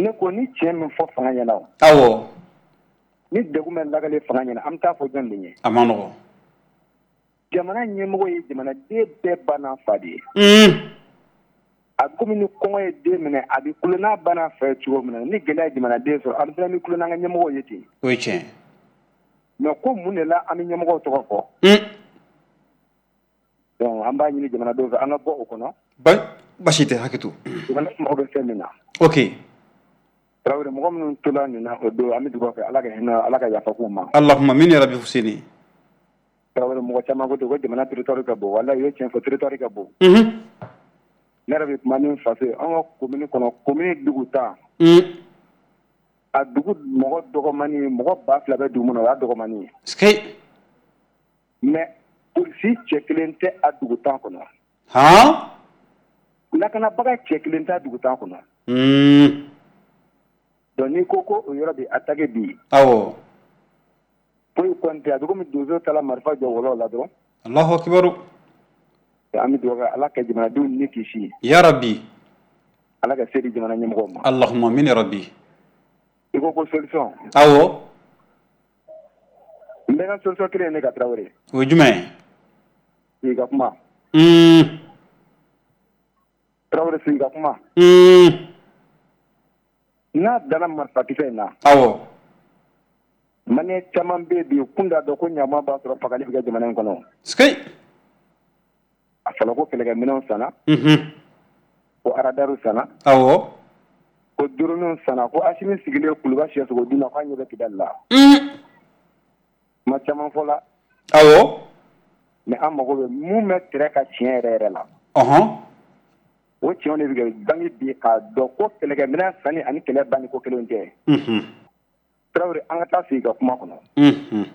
Ne ko ni tiɲɛ min fɔ fanga ɲɛna o. Awɔ. Ni degun bɛ lakale fanga ɲɛna an bɛ taa fɔ jɔn de ɲɛ. A ma nɔgɔn. Jamana ɲɛmɔgɔ ye jamanaden bɛɛ ba n'a fa de ye. Un. A komi ni kɔngɔ ye den minɛ a bɛ kulo n'a ba n'a fa ye cogo min na ni gɛlɛya ye jamanaden sɔrɔ an fana bɛ kulo n'an ka ɲɛmɔgɔw ye ten. O ye tiɲɛ. Mais ko mun de la an bɛ ɲɛmɔgɔw tɔgɔ fɔ. Un. Donc an b'a ɲini jamanadenw fɛ an ka bɔ o kɔnɔ. Ba basi tɛ hakɛ to. Jamana mago bɛ fɛn min na. Ok. Traoré mɔgɔ minnu tola nin na o don an bɛ dugawu kɛ Ala ka hinɛ Ala ka yafa k'u ma. Allahumma amin ya rabbi Fuseni. Traoré mɔgɔ caman ko ten ko jamana territoire ka bon walahi u ye tiɲɛ fɔ territoire ka bon. Unhun. Ne yɛrɛ bɛ kuma ni n faso ye an ka commune kɔnɔ commune dugu tan. Un. A dugu mɔgɔ dɔgɔmani mɔgɔ ba fila bɛ dugu min na o y'a dɔgɔmani ye. Sikei. Mais polisi cɛ kelen tɛ a dugu tan kɔnɔ. Han. Lakanabaga cɛ kelen tɛ a dugu tan kɔnɔ. Un. Donc n'i ko ko o yɔrɔ bɛ attaqué bi. Awɔ. Foyi kɔni tɛ a bɛ komi donso taara marifa jɔ wɔlɔ la dɔrɔn. Allahu akibaru. An bɛ dugawu kɛ Ala ka jamanadenw ni kisi. Ya rabbi. Ala ka se di jamana ɲɛmɔgɔw ma. Allahumma amin ya rabbi. I ko ko solution. Awɔ. N bɛ ka solution kelen ye ne ka Traoré. O ye jumɛn ye? Sigi ka kuma. Un. Traoré sigi ka kuma. Un. N'a danna marifakisɛ in na. Awɔ. Maliyɛn caman bɛ yen bi kun t'a dɔn ko ɲama b'a sɔrɔ fagali bɛ kɛ jamana in kɔnɔ. Sikei. A fɔra ko kɛlɛkɛminɛnw sanna. Unhun. Ko aradariw sanna. Awɔ. Ko drone sanna ko Asimi sigilen Kuluba siyɛsogo dun na k'a ɲɛ bɛ Kidali la. Un. Kuma caman fɔla. Awɔ. Mais an mago bɛ mun bɛ tɛrɛ ka tiɲɛ yɛrɛ yɛrɛ la. Ɔhɔn. O tiɲɛw de bɛ kɛ bange bi k'a dɔn ko kɛlɛkɛminɛn sanni ani kɛlɛ banni ko kelen tɛ. Unhun. Traoré an ka taa sigi ka kuma kɔnɔ. Unhun.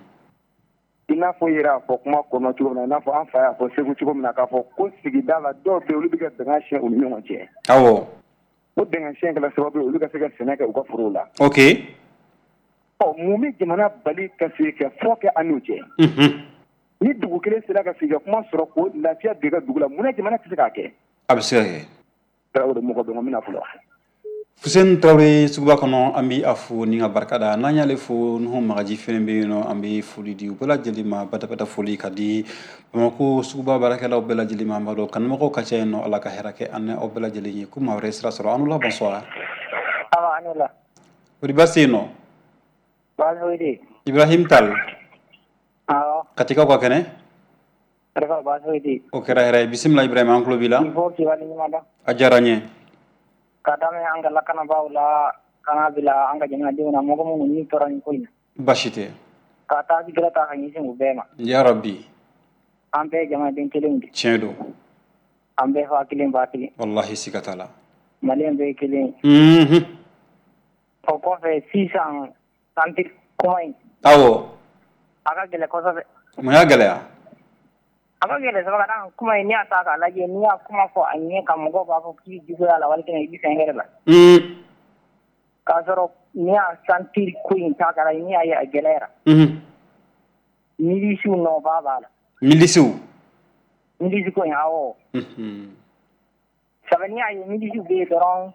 I n'a fɔ i yɛrɛ y'a fɔ kuma kɔnɔ cogo min na i n'a fɔ an fa y'a fɔ Segu cogo min na k'a fɔ ko sigida la dɔw bɛ yen olu bɛ ka bɛnkan siɲɛ u ni ɲɔgɔn cɛ. Awɔ. O bɛnkan siɲɛ kɛra sababu ye olu ka se ka sɛnɛ kɛ u ka forow la. Ok. Ɔ mun bɛ jamana bali ka sigi ka fɔ kɛ an n'u cɛ. Unhun. Ni dugu kelen sera ka sigi ka kuma sɔrɔ k'o lafiya don i ka dugu la mun na jamana tɛ se k'a kɛ. A bɛ se ka kɛ. Traoré mɔgɔ bɛ n bɛna fɔlɔ. Fuseni Traoré suguba kɔnɔ an bɛ a fo ni ka barika da n'an y'ale fo Nuhu Magaji fɛnɛ bɛ yen nɔ an bɛ foli di u bɛɛ lajɛlen ma badabada foli ka di Bamakɔ suguba baarakɛlaw bɛɛ lajɛlen ma an b'a dɔn kanumɔgɔw ka ca yen nɔ Ala ka hɛrɛ kɛ an ni aw bɛɛ lajɛlen ye ko maa wɛrɛ sira sɔrɔ an n'u la bonsoir. Awa an la. Kori baasi tɛ yen nɔ? Baasi foyi tɛ yen. Ibrahim Tal. Awɔ. Katikaw ka kɛnɛ? Arafa baasi tɛ. O kɛra hɛrɛ ye. Bisimila Ibrahima, an tulo b'i la. Il faut k'i waleɲuman dɔn. A diyara n ye. Ka daminɛ an ka lakanabaaw la ka n'a bila an ka jamanadenw na, mɔgɔ minnu ni tora nin ko in na. Baasi tɛ. Ka taa gɛlɛ ta ka ɲɛsin u bɛɛ ma. Ya Rabbi. An bɛɛ ye jamanaden kelenw de. Tiɲɛ don. An bɛɛ fa kelen ba kelen. Walahi siga t'a la. Maliyɛn bɛɛ ye kelen ye. Unhun. O kɔfɛ sisan santé kuma in. Awɔ. A ka gɛlɛn kosɛbɛ. Mun y'a gɛlɛya? A ka gɛlɛn sabu ka d'a kan kuma in, n'i y'a ta k'a lajɛ, n'i y'a kuma fɔ a ɲɛ kan, mɔgɔw b'a fɔ k'i juguya la walima i bɛ fɛn wɛrɛ la. Un. K'a sɔrɔ n'i y'a santé ko in ta k'a lajɛ, n'i y'a ye a gɛlɛyara. Unhun. Milisiw nɔba b'a la. Milisiw. Milisi ko in, awɔ. Unhun. Sabu n'i y'a ye milisiw bɛ yen dɔrɔn,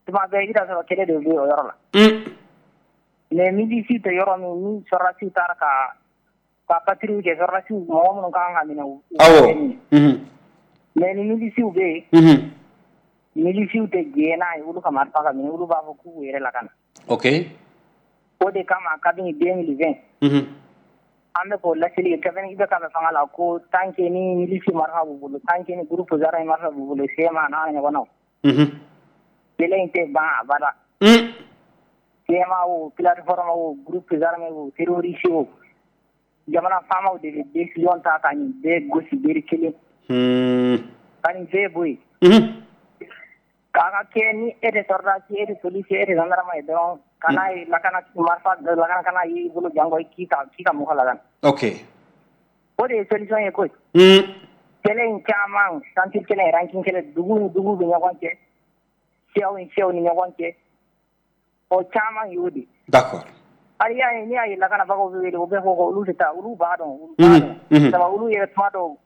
tuma bɛɛ i bɛ taa sɔrɔ kɛlɛ de bɛ o yɔrɔ la. Un. Mais milisi tɛ yɔrɔ min, ni sɔrɔdasiw taara ka ka patrouille kɛ, sɔrɔdasiw mɔgɔ minnu kan ka minɛ, u Awɔ. Unhun. Mais ni milisiw bɛ yen. Unhun. Milisiw tɛ jɛn n'a ye olu ka marifa ka minɛ, olu b'a fɔ k'u yɛrɛ lakana. Ok. O de kama kabini deux mille vingt. Unhun. An bɛ k'o laseli kɛ kabini I B K bɛ fanga la, ko tant que ni milisi marifa b'u bolo, tant que ni groupe armé marifa b'u bolo, C M A n'a ɲɔgɔnnaw. Unhun. Kɛlɛ in tɛ ban abada. Un. C M A o, plateforme o, groupe armé o, terroriste o, jamana faamaw de bɛ décision ta ka nin bɛɛ gosi bere kelen. Un. Ka nin bɛɛ bɔ yen. Unhun. K'a ka kɛ ni e de sɔrɔdasi, e de policier, e de gendarme ye dɔrɔn, kana ye lakana marifa lakana kana ye i bolo jango k'i ka k'i ka mɔgɔ lakana. Ok. O de ye solution ye koyi. Un. Kɛlɛ in caman, santé kɛlɛ, ranking kɛlɛ, dugu ni dugu bɛ ɲɔgɔn cɛ, siyaw ni siyaw ni ɲɔgɔn cɛ, o caman y'o de. D'accord. Hali y'a ye, n'i y'a ye lakanabagaw bɛ wele, u bɛ fɔ ko olu tɛ taa, olu b'a dɔn, olu b'a dɔn. Sabu olu yɛrɛ tuma dɔw,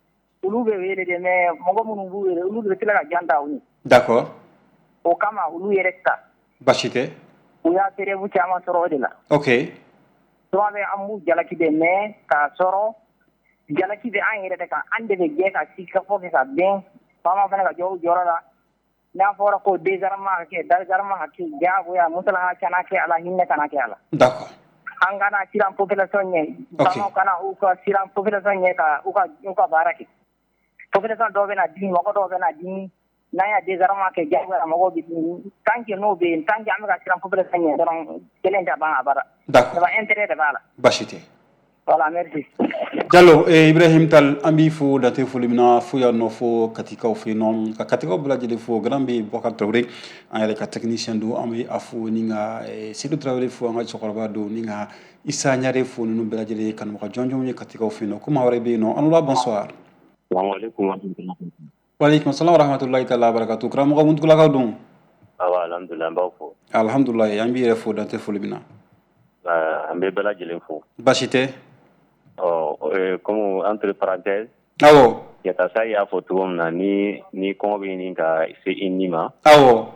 olu bɛ wele de, mais mɔgɔ minnu b'u wele, olu de bɛ tila ka jan ta u ɲɛ. D'accord. O kama olu yɛrɛ ta. Baasi tɛ. U y'a preuve caman sɔrɔ o de la. Ok. Tuma bɛɛ an b'u jalaki de, mais k'a sɔrɔ jalaki bɛ an yɛrɛ de kan, an de bɛ jɛ ka sigikafɔ kɛ ka bɛn, faama fana ka jɔ u jɔyɔrɔ la. N'a fɔra ko désarmement ka kɛ, désarmement ka kɛ diyagoya, musalaha kana kɛ a la, hinɛ kana kɛ a la. D'accord. An kana siran population ɲɛ. Faamaw kana u ka siran population ɲɛ ka u ka u ka baara kɛ. Population dɔw bɛ na dimi, mɔgɔ dɔw bɛ na dimi. N'an y'a désarmement kɛ diyagoya, mɔgɔw bɛ dimi. Tant que n'o bɛ yen, tant que an bɛ ka siran population ɲɛ dɔrɔn, kɛlɛ in tɛ ban abada. D'accord. Sabu intérêt de b'a la. Baasi tɛ. Voilà, merci. Diallo, eh, Ibrahim Tal, an b'i fo dante foli min na fo yan nɔ, fo Katikaw fɛ yen nɔ, ka Katikaw bɛɛ lajɛlen fo. Grand bɛ Bɔkar Traoré, an yɛrɛ ka technicien don, an bɛ a fo ni ka eh, Seydou Traoré fo, an ka cɛkɔrɔba don, ni ka Issa Ɲare fo, ninnu bɛɛ lajɛlen ye kanubaga jɔnjɔnw ye Katikaw fɛ yen nɔ. Ko maa wɛrɛ bɛ yen nɔ. An bonsoir. Waaleykum salam wa rahmatulahi taala barakatu. Karamɔgɔ Muntugulakaw don. Awa, alhamdulilah, an b'aw fo. Alhamdulilah, an b'i yɛrɛ fo dante foli min na. An bɛ bɛɛ lajɛlen fo. Baasi tɛ. Ɔ, comme entre parenthèses. Awɔ. Yatasa y'a fɔ cogo min na, ni ni kɔngɔ bɛ ɲini ka se i ni ma. Awɔ.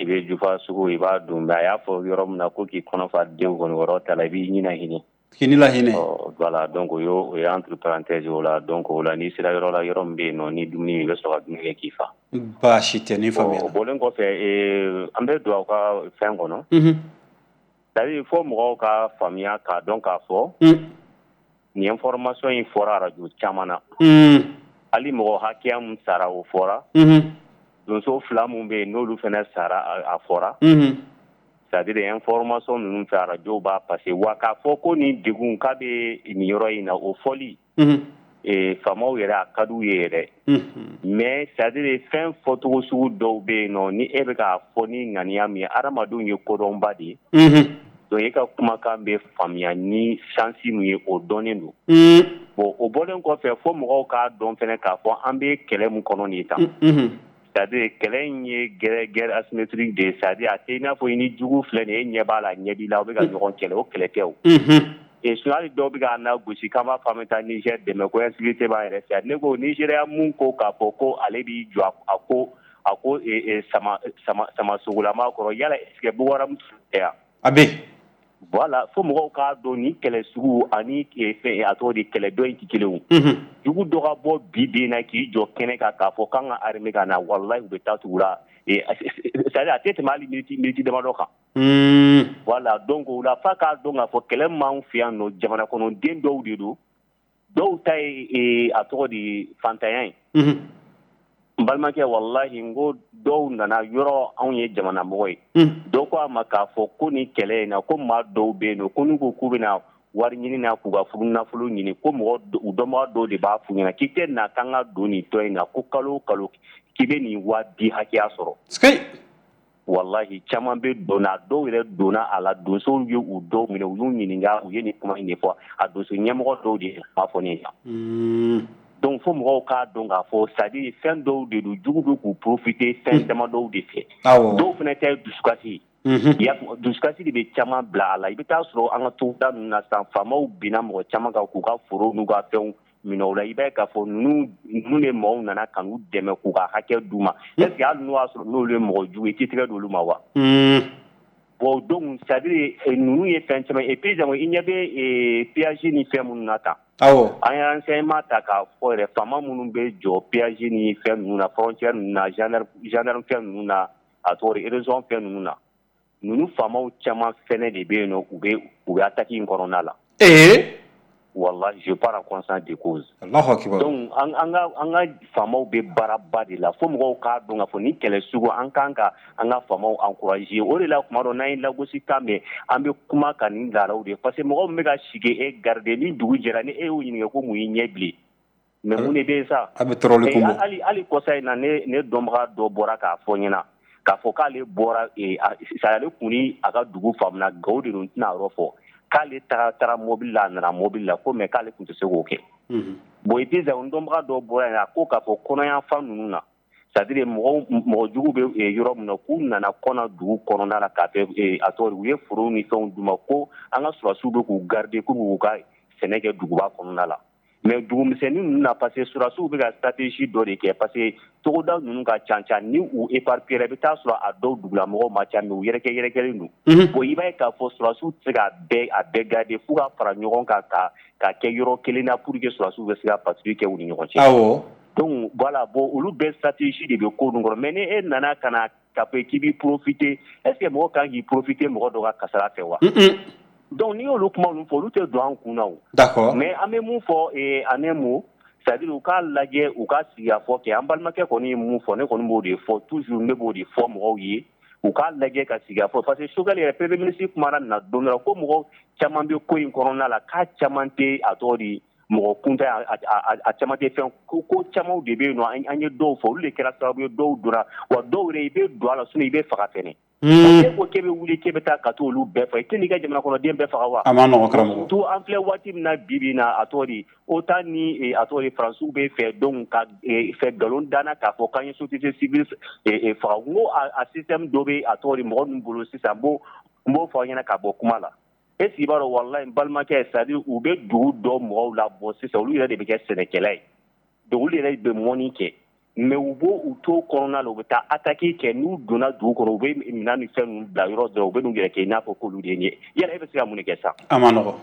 I bɛ jufa sugu i b'a dun, mais a y'a fɔ yɔrɔ min na ko k'i kɔnɔ fa denw kɔni, yɔrɔ ta la, i b'i ɲina hinɛ. K'i ni lahinɛ. Ɔ voilà, donc o y'o o ye entre parenthèses o la. Donc o la, n'i sera yɔrɔ la, yɔrɔ min bɛ yen nɔ, ni dumuni i bɛ sɔrɔ ka dumuni kɛ k'i fa. Baasi tɛ, ni faamuya. O bɔlen kɔfɛ, an bɛ don aw ka fɛn kɔnɔ. Unhun. C'est à dire fo mɔgɔw ka faamuya k'a dɔn k'a fɔ. Nin information in fɔra radio caman na. Hali mɔgɔ hakɛya min sara, o fɔra. Donso fila min bɛ yen, n'olu fana sara, a fɔra. C'est à dire information ninnu fɛ, radio b'a passer wa k'a fɔ ko nin degun k'a bɛ nin yɔrɔ in na, o fɔli. Faamaw yɛrɛ a ka d'u ye yɛrɛ. Mais c'est à dire fɛn fɔcogo sugu dɔw bɛ yen nɔ, ni e bɛ k'a fɔ ni ŋaniya min ye, hadamadenw ye kodɔnba de ye. Donc e ka kumakan bɛ faamuya ni chance min ye, o dɔnnen don. Bon, o bɔlen kɔfɛ, fo mɔgɔw k'a dɔn fɛnɛ k'a fɔ an bɛ kɛlɛ min kɔnɔ nin ye tan. C'est à dire kɛlɛ in ye guerre guerre asymétrique de ye, c'est à dire a tɛ i n'a fɔ i ni jugu filɛ nin ye, e ɲɛ b'a la, ɲɛ b'i la, aw bɛ ka ɲɔgɔn kɛlɛ, o kɛlɛ tɛ o. Et sinon hali dɔw bɛ k'an lagosi k'an b'a fɔ an bɛ taa Niger dɛmɛ ko insécurité b'an yɛrɛ fɛ. Ne ko Nigéria mun ko k'a fɔ ko ale b'i jɔ a ko a ko sama sama sama sogolama kɔrɔ, yala est ce que Boko Haram tɛ yan? A bɛ. Voilà, fo mɔgɔw k'a dɔn ni kɛlɛ sugu ani fɛn a tɔgɔ di, kɛlɛ dɔ in tɛ kelen o. Jugu dɔ ka bɔ bi bi in na k'i jɔ kɛnɛ kan k'a fɔ k'an ka armée ka na, walahi u bɛ taa tugu la. C'est à dire a tɛ tɛmɛ hali minute minute damadɔ kan. Voilà, donc o la f'a k'a dɔn k'a fɔ kɛlɛ min b'anw fɛ yan nɔ, jamana kɔnɔden dɔw de don. Dɔw ta ye a tɔgɔ di fantanya ye. N balimakɛ, walahi, n ko dɔw nana yɔrɔ, anw ye jamana mɔgɔ ye. Dɔw ko a ma k'a fɔ ko ni kɛlɛ in na, ko maa dɔw bɛ yen nɔ, ko n'u ko k'u bɛna wari ɲini na, k'u ka furu nafolo ɲini, ko mɔgɔ u dɔnbaga dɔw de b'a f'u ɲɛna k'i tɛ na k'an ka don nin tɔn in na, ko kalo o kalo k'i bɛ nin waa bi hakɛya sɔrɔ. Walahi, caman bɛ donna, dɔw yɛrɛ donna a la, donsow ye u dɔw minɛ, u y'u ɲininka, u ye nin kuma in de fɔ, a donso ɲɛmɔgɔ dɔw de ye kuma fɔ ne ɲɛna. Donc fo mɔgɔw k'a dɔn k'a fɔ, c'est à dire fɛn dɔw de don, jugu bɛ k'u profiter fɛn dama dɔw de fɛ. Dɔw fana ta ye dusukasi ye, dusukasi de bɛ caman bila a la. I bɛ taa sɔrɔ an ka togoda ninnu na sisan, faamaw binna mɔgɔ caman kan k'u ka foro n'u ka fɛnw minɛ o la. I b'a ye k'a fɔ ninnu ninnu de mɔgɔw nana ka n'u dɛmɛ k'u ka hakɛ d'u ma. Est ce que hali n'o y'a sɔrɔ n'olu ye mɔgɔ jugu ye, i t'i tɛgɛ d'olu ma wa? Bon, donc c'est à dire ninnu ye fɛn caman. Et puis i ɲɛ bɛ péage ni fɛn minnu na tan. Awɔ. An ye renseignement ta k'a fɔ yɛrɛ, faama minnu bɛ jɔ péage ni fɛn ninnu na, frontière ninnu na, gendarme gendarme fɛn ninnu na, a tɔgɔ di, région fɛn ninnu na, ninnu faamaw caman fɛnɛ de bɛ yen nɔ, u bɛ u bɛ attaque in kɔnɔna la. Ee. Wallahi, je parle en conscience de cause. Allahu akbar. Donc an an ka an ka faamaw bɛ baaraba de la, fo mɔgɔw k'a dɔn k'a fɔ ni kɛlɛ sugu, an kan ka an ka faamaw encourager. O de la, tuma dɔ, n'an ye lagosi kan mɛn, an bɛ kuma ka nin laadaw de, parce que mɔgɔ min bɛ ka sigi e garder, ni dugu jɛra, ni e y'o ɲininka ko mun y'i ɲɛ bilen, mais mun de bɛ yen sa? A bɛ tɔɔrɔli kun bɔ. Hali hali kɔsa in na, ne ne dɔnbaga dɔ bɔra k'a fɔ n ɲɛna k'a fɔ k'ale bɔra, ale kun ni a ka dugu faamuna, Gawo de don, n tɛna a yɔrɔ fɔ, k'ale taara taara mobili la, a nana mobili la, ko mais k'ale tun tɛ se k'o kɛ. Bon, et puis n dɔnbaga dɔ bɔra yen, a ko k'a fɔ kɔnɔyanfan ninnu na, c'est à dire mɔgɔw mɔgɔ jugu bɛ yɔrɔ min na, k'u nana kɔnɔ dugu kɔnɔna la k'a kɛ a tɔgɔ, u ye foro ni fɛnw d'u ma, ko an ka sɔrɔdasiw bɛ k'u garder, k'u b'u ka sɛnɛ kɛ duguba kɔnɔna la. Mais dugumisɛnnin ninnu na, parce que sɔrɔdasiw bɛ ka stratégie dɔ de kɛ, parce que togoda ninnu ka ca ca, ni u éparpillé, i bɛ taa sɔrɔ a dɔw dugulamɔgɔw ma ca, mais u yɛrɛkɛ yɛrɛkɛlen don. Bon, i b'a ye k'a fɔ sɔrɔdasiw tɛ se k'a bɛɛ a bɛɛ garder, f'u ka fara ɲɔgɔn kan ka ka kɛ yɔrɔ kelen na pour que sɔrɔdasiw bɛ se ka patrouille kɛ u ni ɲɔgɔn cɛ. Awɔ. Donc voilà, bon, olu bɛɛ stratégie de bɛ ko ninnu kɔrɔ. Mais ni e nana ka na k'a fɔ k'i b'i profiter, est ce que mɔgɔ kan k'i profiter mɔgɔ dɔ ka kasara fɛ wa? Donc n'i y'olu kuma ninnu fɔ, olu tɛ don an kun na o. D'accord. Mais an bɛ mun fɔ en un mot, c'est à dire u k'a lajɛ, u ka sigikafɔ kɛ. An balimakɛ kɔni ye mun fɔ, ne kɔni b'o de fɔ toujours, ne b'o de fɔ mɔgɔw ye, u k'a lajɛ ka sigikafɔ, parce que Choguel yɛrɛ, premier ministre, kumana nin na don dɔ la, ko mɔgɔ caman bɛ ko in kɔnɔna la, k'a caman tɛ a tɔgɔ di mɔgɔ kunta, a caman tɛ fɛn, ko ko camanw de bɛ yen nɔ, an ye dɔw fɔ, olu de kɛra sababu ye dɔw donna wa, dɔw yɛrɛ i bɛ don a la, sinon i bɛ faga fɛnɛ. E ko k'e bɛ wuli k'e bɛ taa ka t'olu bɛɛ faga, i tɛ n'i ka jamana kɔnɔden bɛɛ faga wa? A ma nɔgɔn, karamɔgɔ. Surtout an filɛ waati min na bi bi in na, a tɔgɔ di, OTAN ni a tɔgɔ di Faransiw bɛ fɛ donc ka fɛ nkalon danna k'a fɔ k'an ye société civile faga. N ko a système dɔ bɛ a tɔgɔ di mɔgɔ ninnu bolo sisan, n b'o n b'o fɔ aw ɲɛna ka bɔ kuma la. Est ce que i b'a dɔn, walahi, n balimakɛ, c'est à dire u bɛ dugu dɔ mɔgɔw labɔ sisan, olu yɛrɛ de bɛ kɛ sɛnɛkɛla ye, donc olu yɛrɛ bɛ mɔnni kɛ, mais u b'o u to kɔnɔna la, u bɛ taa attaque kɛ. N'u donna dugu kɔnɔ, u bɛ minɛn ni fɛn ninnu bila yɔrɔ dɔ, u bɛ n'u yɛrɛ kɛ i n'a fɔ k'olu de ye nin ye. Yala e bɛ se ka mun de kɛ sa? A ma nɔgɔn.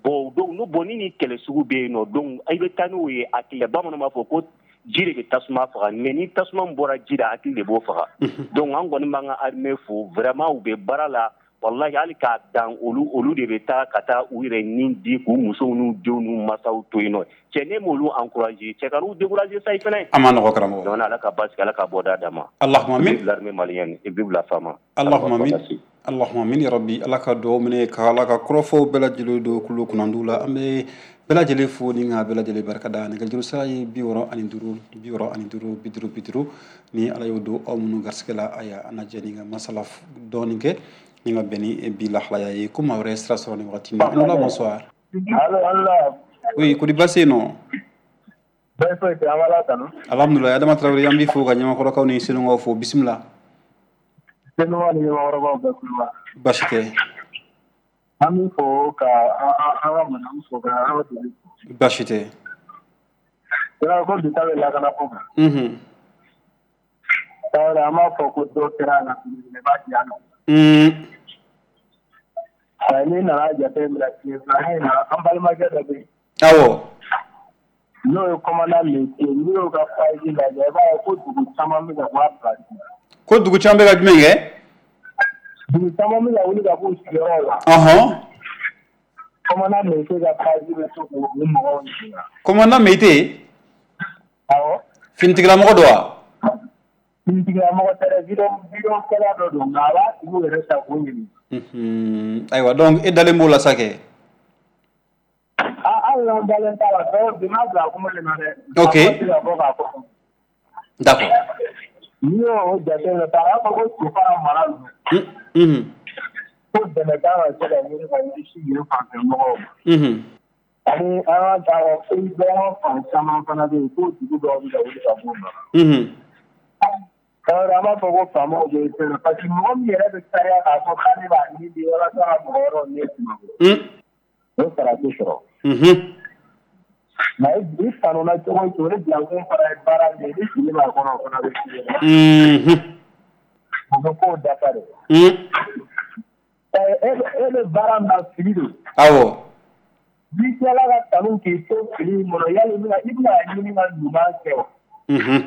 Bon, donc n'o bon ni ni kɛlɛ sugu bɛ yen nɔ, donc i bɛ taa n'o ye hakili la. Bamananw b'a fɔ ko ji de bɛ tasuma faga, mais ni tasuma bɔra ji la, hakili de b'o faga. Donc an kɔni b'an ka armée fo, vraiment u bɛ baara la. Wallahi, hali k'a dan olu olu de bɛ taa ka taa u yɛrɛ ni di k'u musow n'u denw n'u masaw to yen nɔ. Cɛ, ne m'olu encourager, cɛ ka n'u décourager sa i fɛnɛ. A ma nɔgɔn, karamɔgɔ. Donc Ala ka basi, Ala ka bɔda d'a ma. Allahumma amin. Vive l'armée malienne et vive la FAMa. Allahumma amin. Allahumma amin ya rabbi. Ala ka dugawu minɛ, ka Ala ka kɔrɔfɔw bɛɛ lajɛlen don kulo kunnandiw la. An bɛ bɛɛ lajɛlen fo ni ka bɛɛ lajɛlen barika da. Nɛgɛjuru sira ye bi wɔɔrɔ ani duuru bi wɔɔrɔ ani duuru bi duuru bi duuru. Ni Ala y'o don aw minnu garisɛgɛ la, ayiwa, an na jɛ ni ka masala dɔɔni kɛ ni ka bɛn ni bi lahalaya ye, ko maa wɛrɛ ye sira sɔrɔ nin wagati in na. Allo, bonsoir. Allo, allo. Oui, kodi baasi yen nɔ? Bɛɛ foyi tɛ, an b'Ala tanu. Alhamdulilayi. Adama Tarawele, an b'i fo ka ɲamakɔrɔkaw ni Senukaw fo. Bisimila. Senukaw ni ɲamakɔrɔkaw bɛɛ kulo. Baasi tɛ. An b'i fo ka an ka madame fo ka an ka dugu fo. Baasi tɛ. Yɔrɔ ko bi ta bɛ lakana ko kan. Unhun. Tarawele, an b'a fɔ ko dɔ kɛra a la, belebeleba di an ma. Un. N'i nana jateminɛ tile filanan in na, an balimakɛ dɔ bɛ yen. Awɔ. N'o ye commandant Lete, n'i y'o ka page lajɛ, i b'a ye ko dugu caman bɛ ka bɔ a place la. Ko dugu caman bɛ ka jumɛn kɛ? Dugu caman bɛ ka wuli ka b'u sigiyɔrɔ la. Ɔhɔn. Commandant Meïté ka page bɛ to k'o mɔgɔw ɲininka. Commandant Meïté. Awɔ. Finitigilamɔgɔ don wa? Finitigilamɔgɔ tɛ dɛ, vidéo vidéo kɛla dɔ don nka a b'a tigiw yɛrɛ ta k'o ɲininka. Unhun, ayiwa donc e dalen b'o la sa kɛ? Ah, hali n'an dalen t'a la, dɔw bi n'a bila kuma de ma dɛ. Ok. A tɛ se ka bɔ k'a fɔ. D'accord. N'i y'o jateminɛ ta, a b'a fɔ ko Sofara mara ninnu. Unhun. Ko dɛmɛ kan ka se ka ɲini ka ɲɛsin yen fanfɛ mɔgɔw ma. Unhun. Ani an ka taa pays bɛɛ fan caman fana bɛ yen ko dugu dɔw bɛ ka wuli ka b'u nɔ la. Unhun. Tarawele, an b'a fɔ ko faamaw bɛ fɛn na parce que mɔgɔ min yɛrɛ bɛ sariya k'a fɔ k'ale b'a ɲini de walasa ka mɔgɔ wɛrɛw ɲɛ suma. Un. O sara tɛ sɔrɔ. Unhun. Nka i kanuna cogo o cogo, ni bilakun fana ye baara min kɛ, ni fili b'a kɔnɔ, o fana bɛ f'i ɲɛna. Unhun. O bɛ kow dafa de. Un. E bɛ baara min na, fili don. Awɔ. N'i tilala ka kanu k'i to fili in kɔnɔ, yali i bɛna i bɛna ɲini ka ɲuman kɛ wa? Unhun.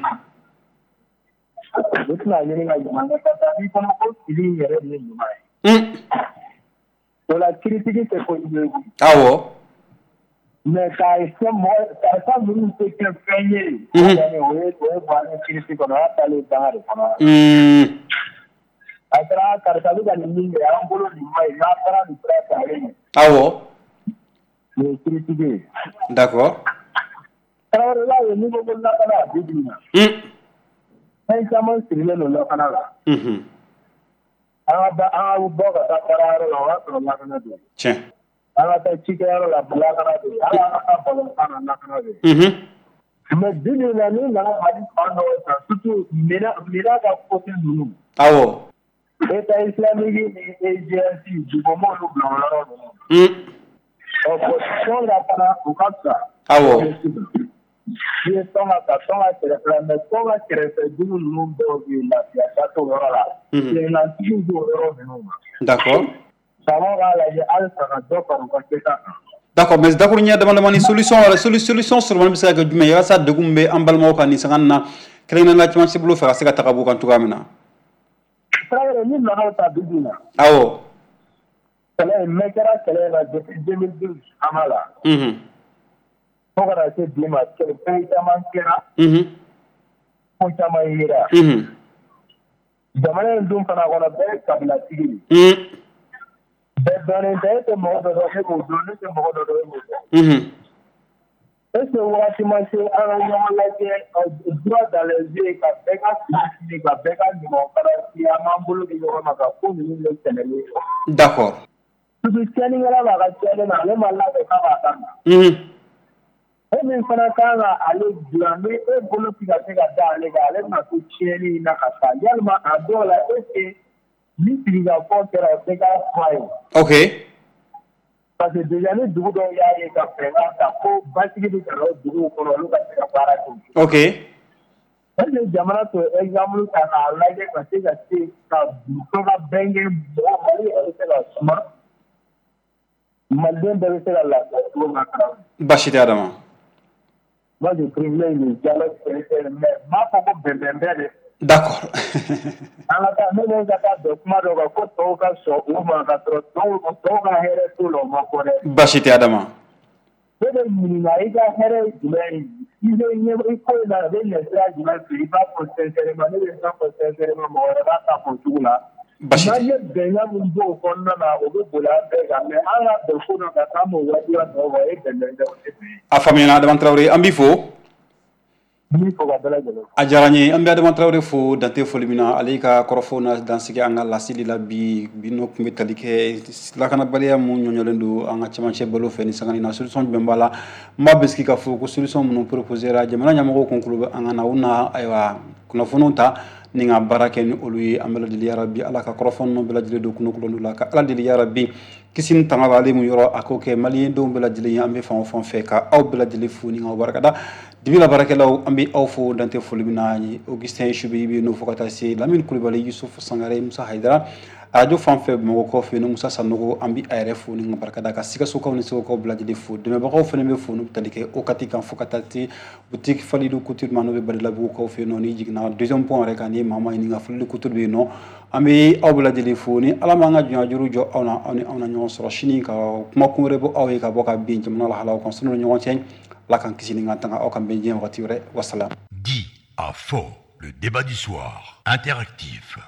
I tɛna ɲini ka ɲuman kɛ parce que a b'i kɔnɔ ko fili in yɛrɛ de ye ɲuman ye. Un. O la critique tɛ kojugu ye koyi. Awɔ. Mais k'a fɔ mɔgɔ karisa ninnu tɛ kɛ fɛn ye. Unhun. O ye o ye bɔ an ka critique kɔnɔ, o y'a taalen danga de kɔnɔ. Un. A kɛra karisa bɛ ka nin min kɛ, an bolo nin ma ɲi, n'a taara nin sira fɛ, a bɛ ɲɛ. Awɔ. O ye critique ye. D'accord. Tarawele, i b'a ye n'i ko ko lakana bi bi in na. Un. Fɛn caman sirilen don lakana la. Unhun. An ka ba an ka bɔ ka taa baarayɔrɔ la, o y'a sɔrɔ lakana bɛ yen. Tiɲɛ. An ka taa cikɛyɔrɔ la, lakana bɛ yen. Hali an ka taa balontan na, lakana bɛ yen. Unhun. Mais bi bi in na, n'i nana Mali fan dɔw ta, surtout Mina Mina ka côté ninnu. Awɔ. État islamique ni E G S dugu m'olu bila o yɔrɔ ninnu. Un. Ɔ bon, tɔn ka fana o ka fisa. Awɔ. N'i ye tɔn ka ta, tɔn ka kɛrɛfɛ mais tɔn ka kɛrɛfɛ dugu ninnu dɔw bɛ yen, lafiya ba t'o yɔrɔ la. Unhun. Senkantigiw b'o yɔrɔ ninnu na. D'accord. Faamaw k'a lajɛ halisa ka dɔ fara u ka kɛta kan. D'accord, mais dakuru ɲɛ dama damani solution wɛrɛ solution sɔrɔ bɛ se ka kɛ jumɛn ye walasa degun min bɛ an balimaw kan nin sanga in na, kɛrɛnkɛrɛnnenya la cɛmancɛ bolo fɛ, ka se ka taga b'u kan cogoya min na? Tarawele, ni nana ta bi bi in na. Awɔ. Kɛlɛ in mɛn kɛra kɛlɛ in na depuis deux mille douze an b'a la. Unhun. Fo ka na se bi ma, fɛn caman kɛra. Unhun. Ko caman yera. Unhun. Jamana in dun fana kɔnɔ, bɛɛ ye kabilatigi de ye. Un. Bɛɛ dɔnnen tɛ, e tɛ mɔgɔ dɔ dɔn, e b'o dɔn, ne tɛ mɔgɔ dɔ dɔn, e b'o dɔn. Unhun. Est-ce que wagati ma se an ka ɲɔgɔn lajɛ droit dans les yeux, ka bɛɛ ka fili fili, ka bɛɛ ka ɲuman fana fili, an b'an bolo di ɲɔgɔn ma ka ko ninnu bɛ tɛmɛlen ye. D'accord. Surtout tiɲɛnikɛla b'a ka tiɲɛni na, ale ma labɛn k'a b'a dabila. Unhun. E min fana kan ka ale dilan, ni e bolo ti ka se ka da ale kan, ale bɛna to tiɲɛni in na ka taa. Yalima a dɔw la, est ce que ni sigikafɔ kɛra, o tɛ k'a fura ye? Ok. Parce que déjà ni dugu dɔw y'a ye ka fɛɛrɛ ta ko basigi bɛ ka na o duguw kɔnɔ, olu ka se ka baara kɛ. Ok. Est ce que jamana t'o exemple ta k'a lajɛ ka se ka se ka muso ka bɛn kɛ, mɔgɔ Mali yɛrɛ bɛ se ka suma, Maliden bɛɛ bɛ se ka lafiya cogo min na? Baasi tɛ Adama. Moi, je privilège le dialogue, mais n m'a fɔ ko bɛnbɛn bɛɛ dɛ. D'accord. An ka taa ne bɛ ka taa bɛn kuma dɔ kan ko tɔw ka sɔn u ma ka sɔrɔ tɔw tɔw ka hɛrɛ t'o la, o ma fɔ dɛ. Baasi tɛ Adama. Ne bɛ ɲininka, i ka hɛrɛ ye jumɛn ye? I bɛ ɲɛ i ko in na, a bɛ ɲɛ sira jumɛn fɛ? I b'a fɔ sincèrement, ne bɛ taa fɔ sincèrement, mɔgɔ wɛrɛ b'a ta fɔ cogo la. Baasi N'an tɛ. ye bɛnkan min b'o kɔnɔna na, o bɛ boli an bɛɛ kan, mais an ka bɛn ko dɔ kan k'an m'o wajibiya tɔw kan, o ye bɛnbɛn tɛ, o tɛ bɛn ye. A faamuyana Adama Tarawele, an b'i fo. N b'i fo ka bɛɛ lajɛlen fo. A diyara n ye, an bɛ Adama Tarawele fo dante foli min na, ale ka kɔrɔfɔw na dansigi an ka laseli la bi. Bi n'o tun bɛ tali kɛ lakanabaliya mun ɲɔɲɔlen don an ka cɛmancɛ balo fɛ ni sanga in na, solution jumɛn b'a la? N b'a bisigi k'a fɔ ko solution minnu proposé ra, jamana ɲɛmɔgɔw kun kulo bɛ an ka na, u na ayiwa kunnafoniw ta ni ka baara kɛ ni olu ye. An bɛ lajɛlen yarabi Ala ka kɔrɔfɔ ninnu bɛɛ lajɛlen don kunnakolon la, ka Ala deli yarabi kisi ni tanga b'ale mun yɔrɔ, a k'o kɛ maliyɛndenw bɛɛ lajɛlen ye an bɛ fan o fan fɛ. Ka aw bɛɛ lajɛlen fo ni k'aw barikada. Dibi la baarakɛlaw, an bɛ aw fo dantɛ foli min na. Augustin Subi bɛ n'o fo ka taa se Lamine Kulibali, Yusuf Sangare, Musa Hayidara. Arajo fan fɛ Bamakɔ fɛ yen, Musa Sanogo, an bɛ a yɛrɛ fo ni ka barikada ka Sikasokaw ni Segukaw bɛɛ lajɛlen fo. Dɛmɛbagaw fana bɛ fo n'u bɛ tali kɛ O K T kan, fo ka taa se boutique Falilu Couture ma, n'o bɛ Badilabugukaw fɛ yen nɔ. N'i jiginna deuxième pont yɛrɛ kan, ni maa maa ɲininka, Falilu Couture bɛ yen nɔ. An bɛ aw bɛɛ lajɛlen fo. Ni Ala m'an ka jɔnya jɔ aw na, aw ni anw na ɲɔgɔn sɔrɔ sini ka kuma kun wɛrɛ bɔ aw ye ka bɔ ka bin jamana lahalaw kan. Sanu ni ɲɔgɔn cɛ, Ala k'an kisi ni k'an tanga. Aw kan bɛn diɲɛ wagati wɛrɛ. Wasalaam. Dit à faux, le débat du soir, interactif.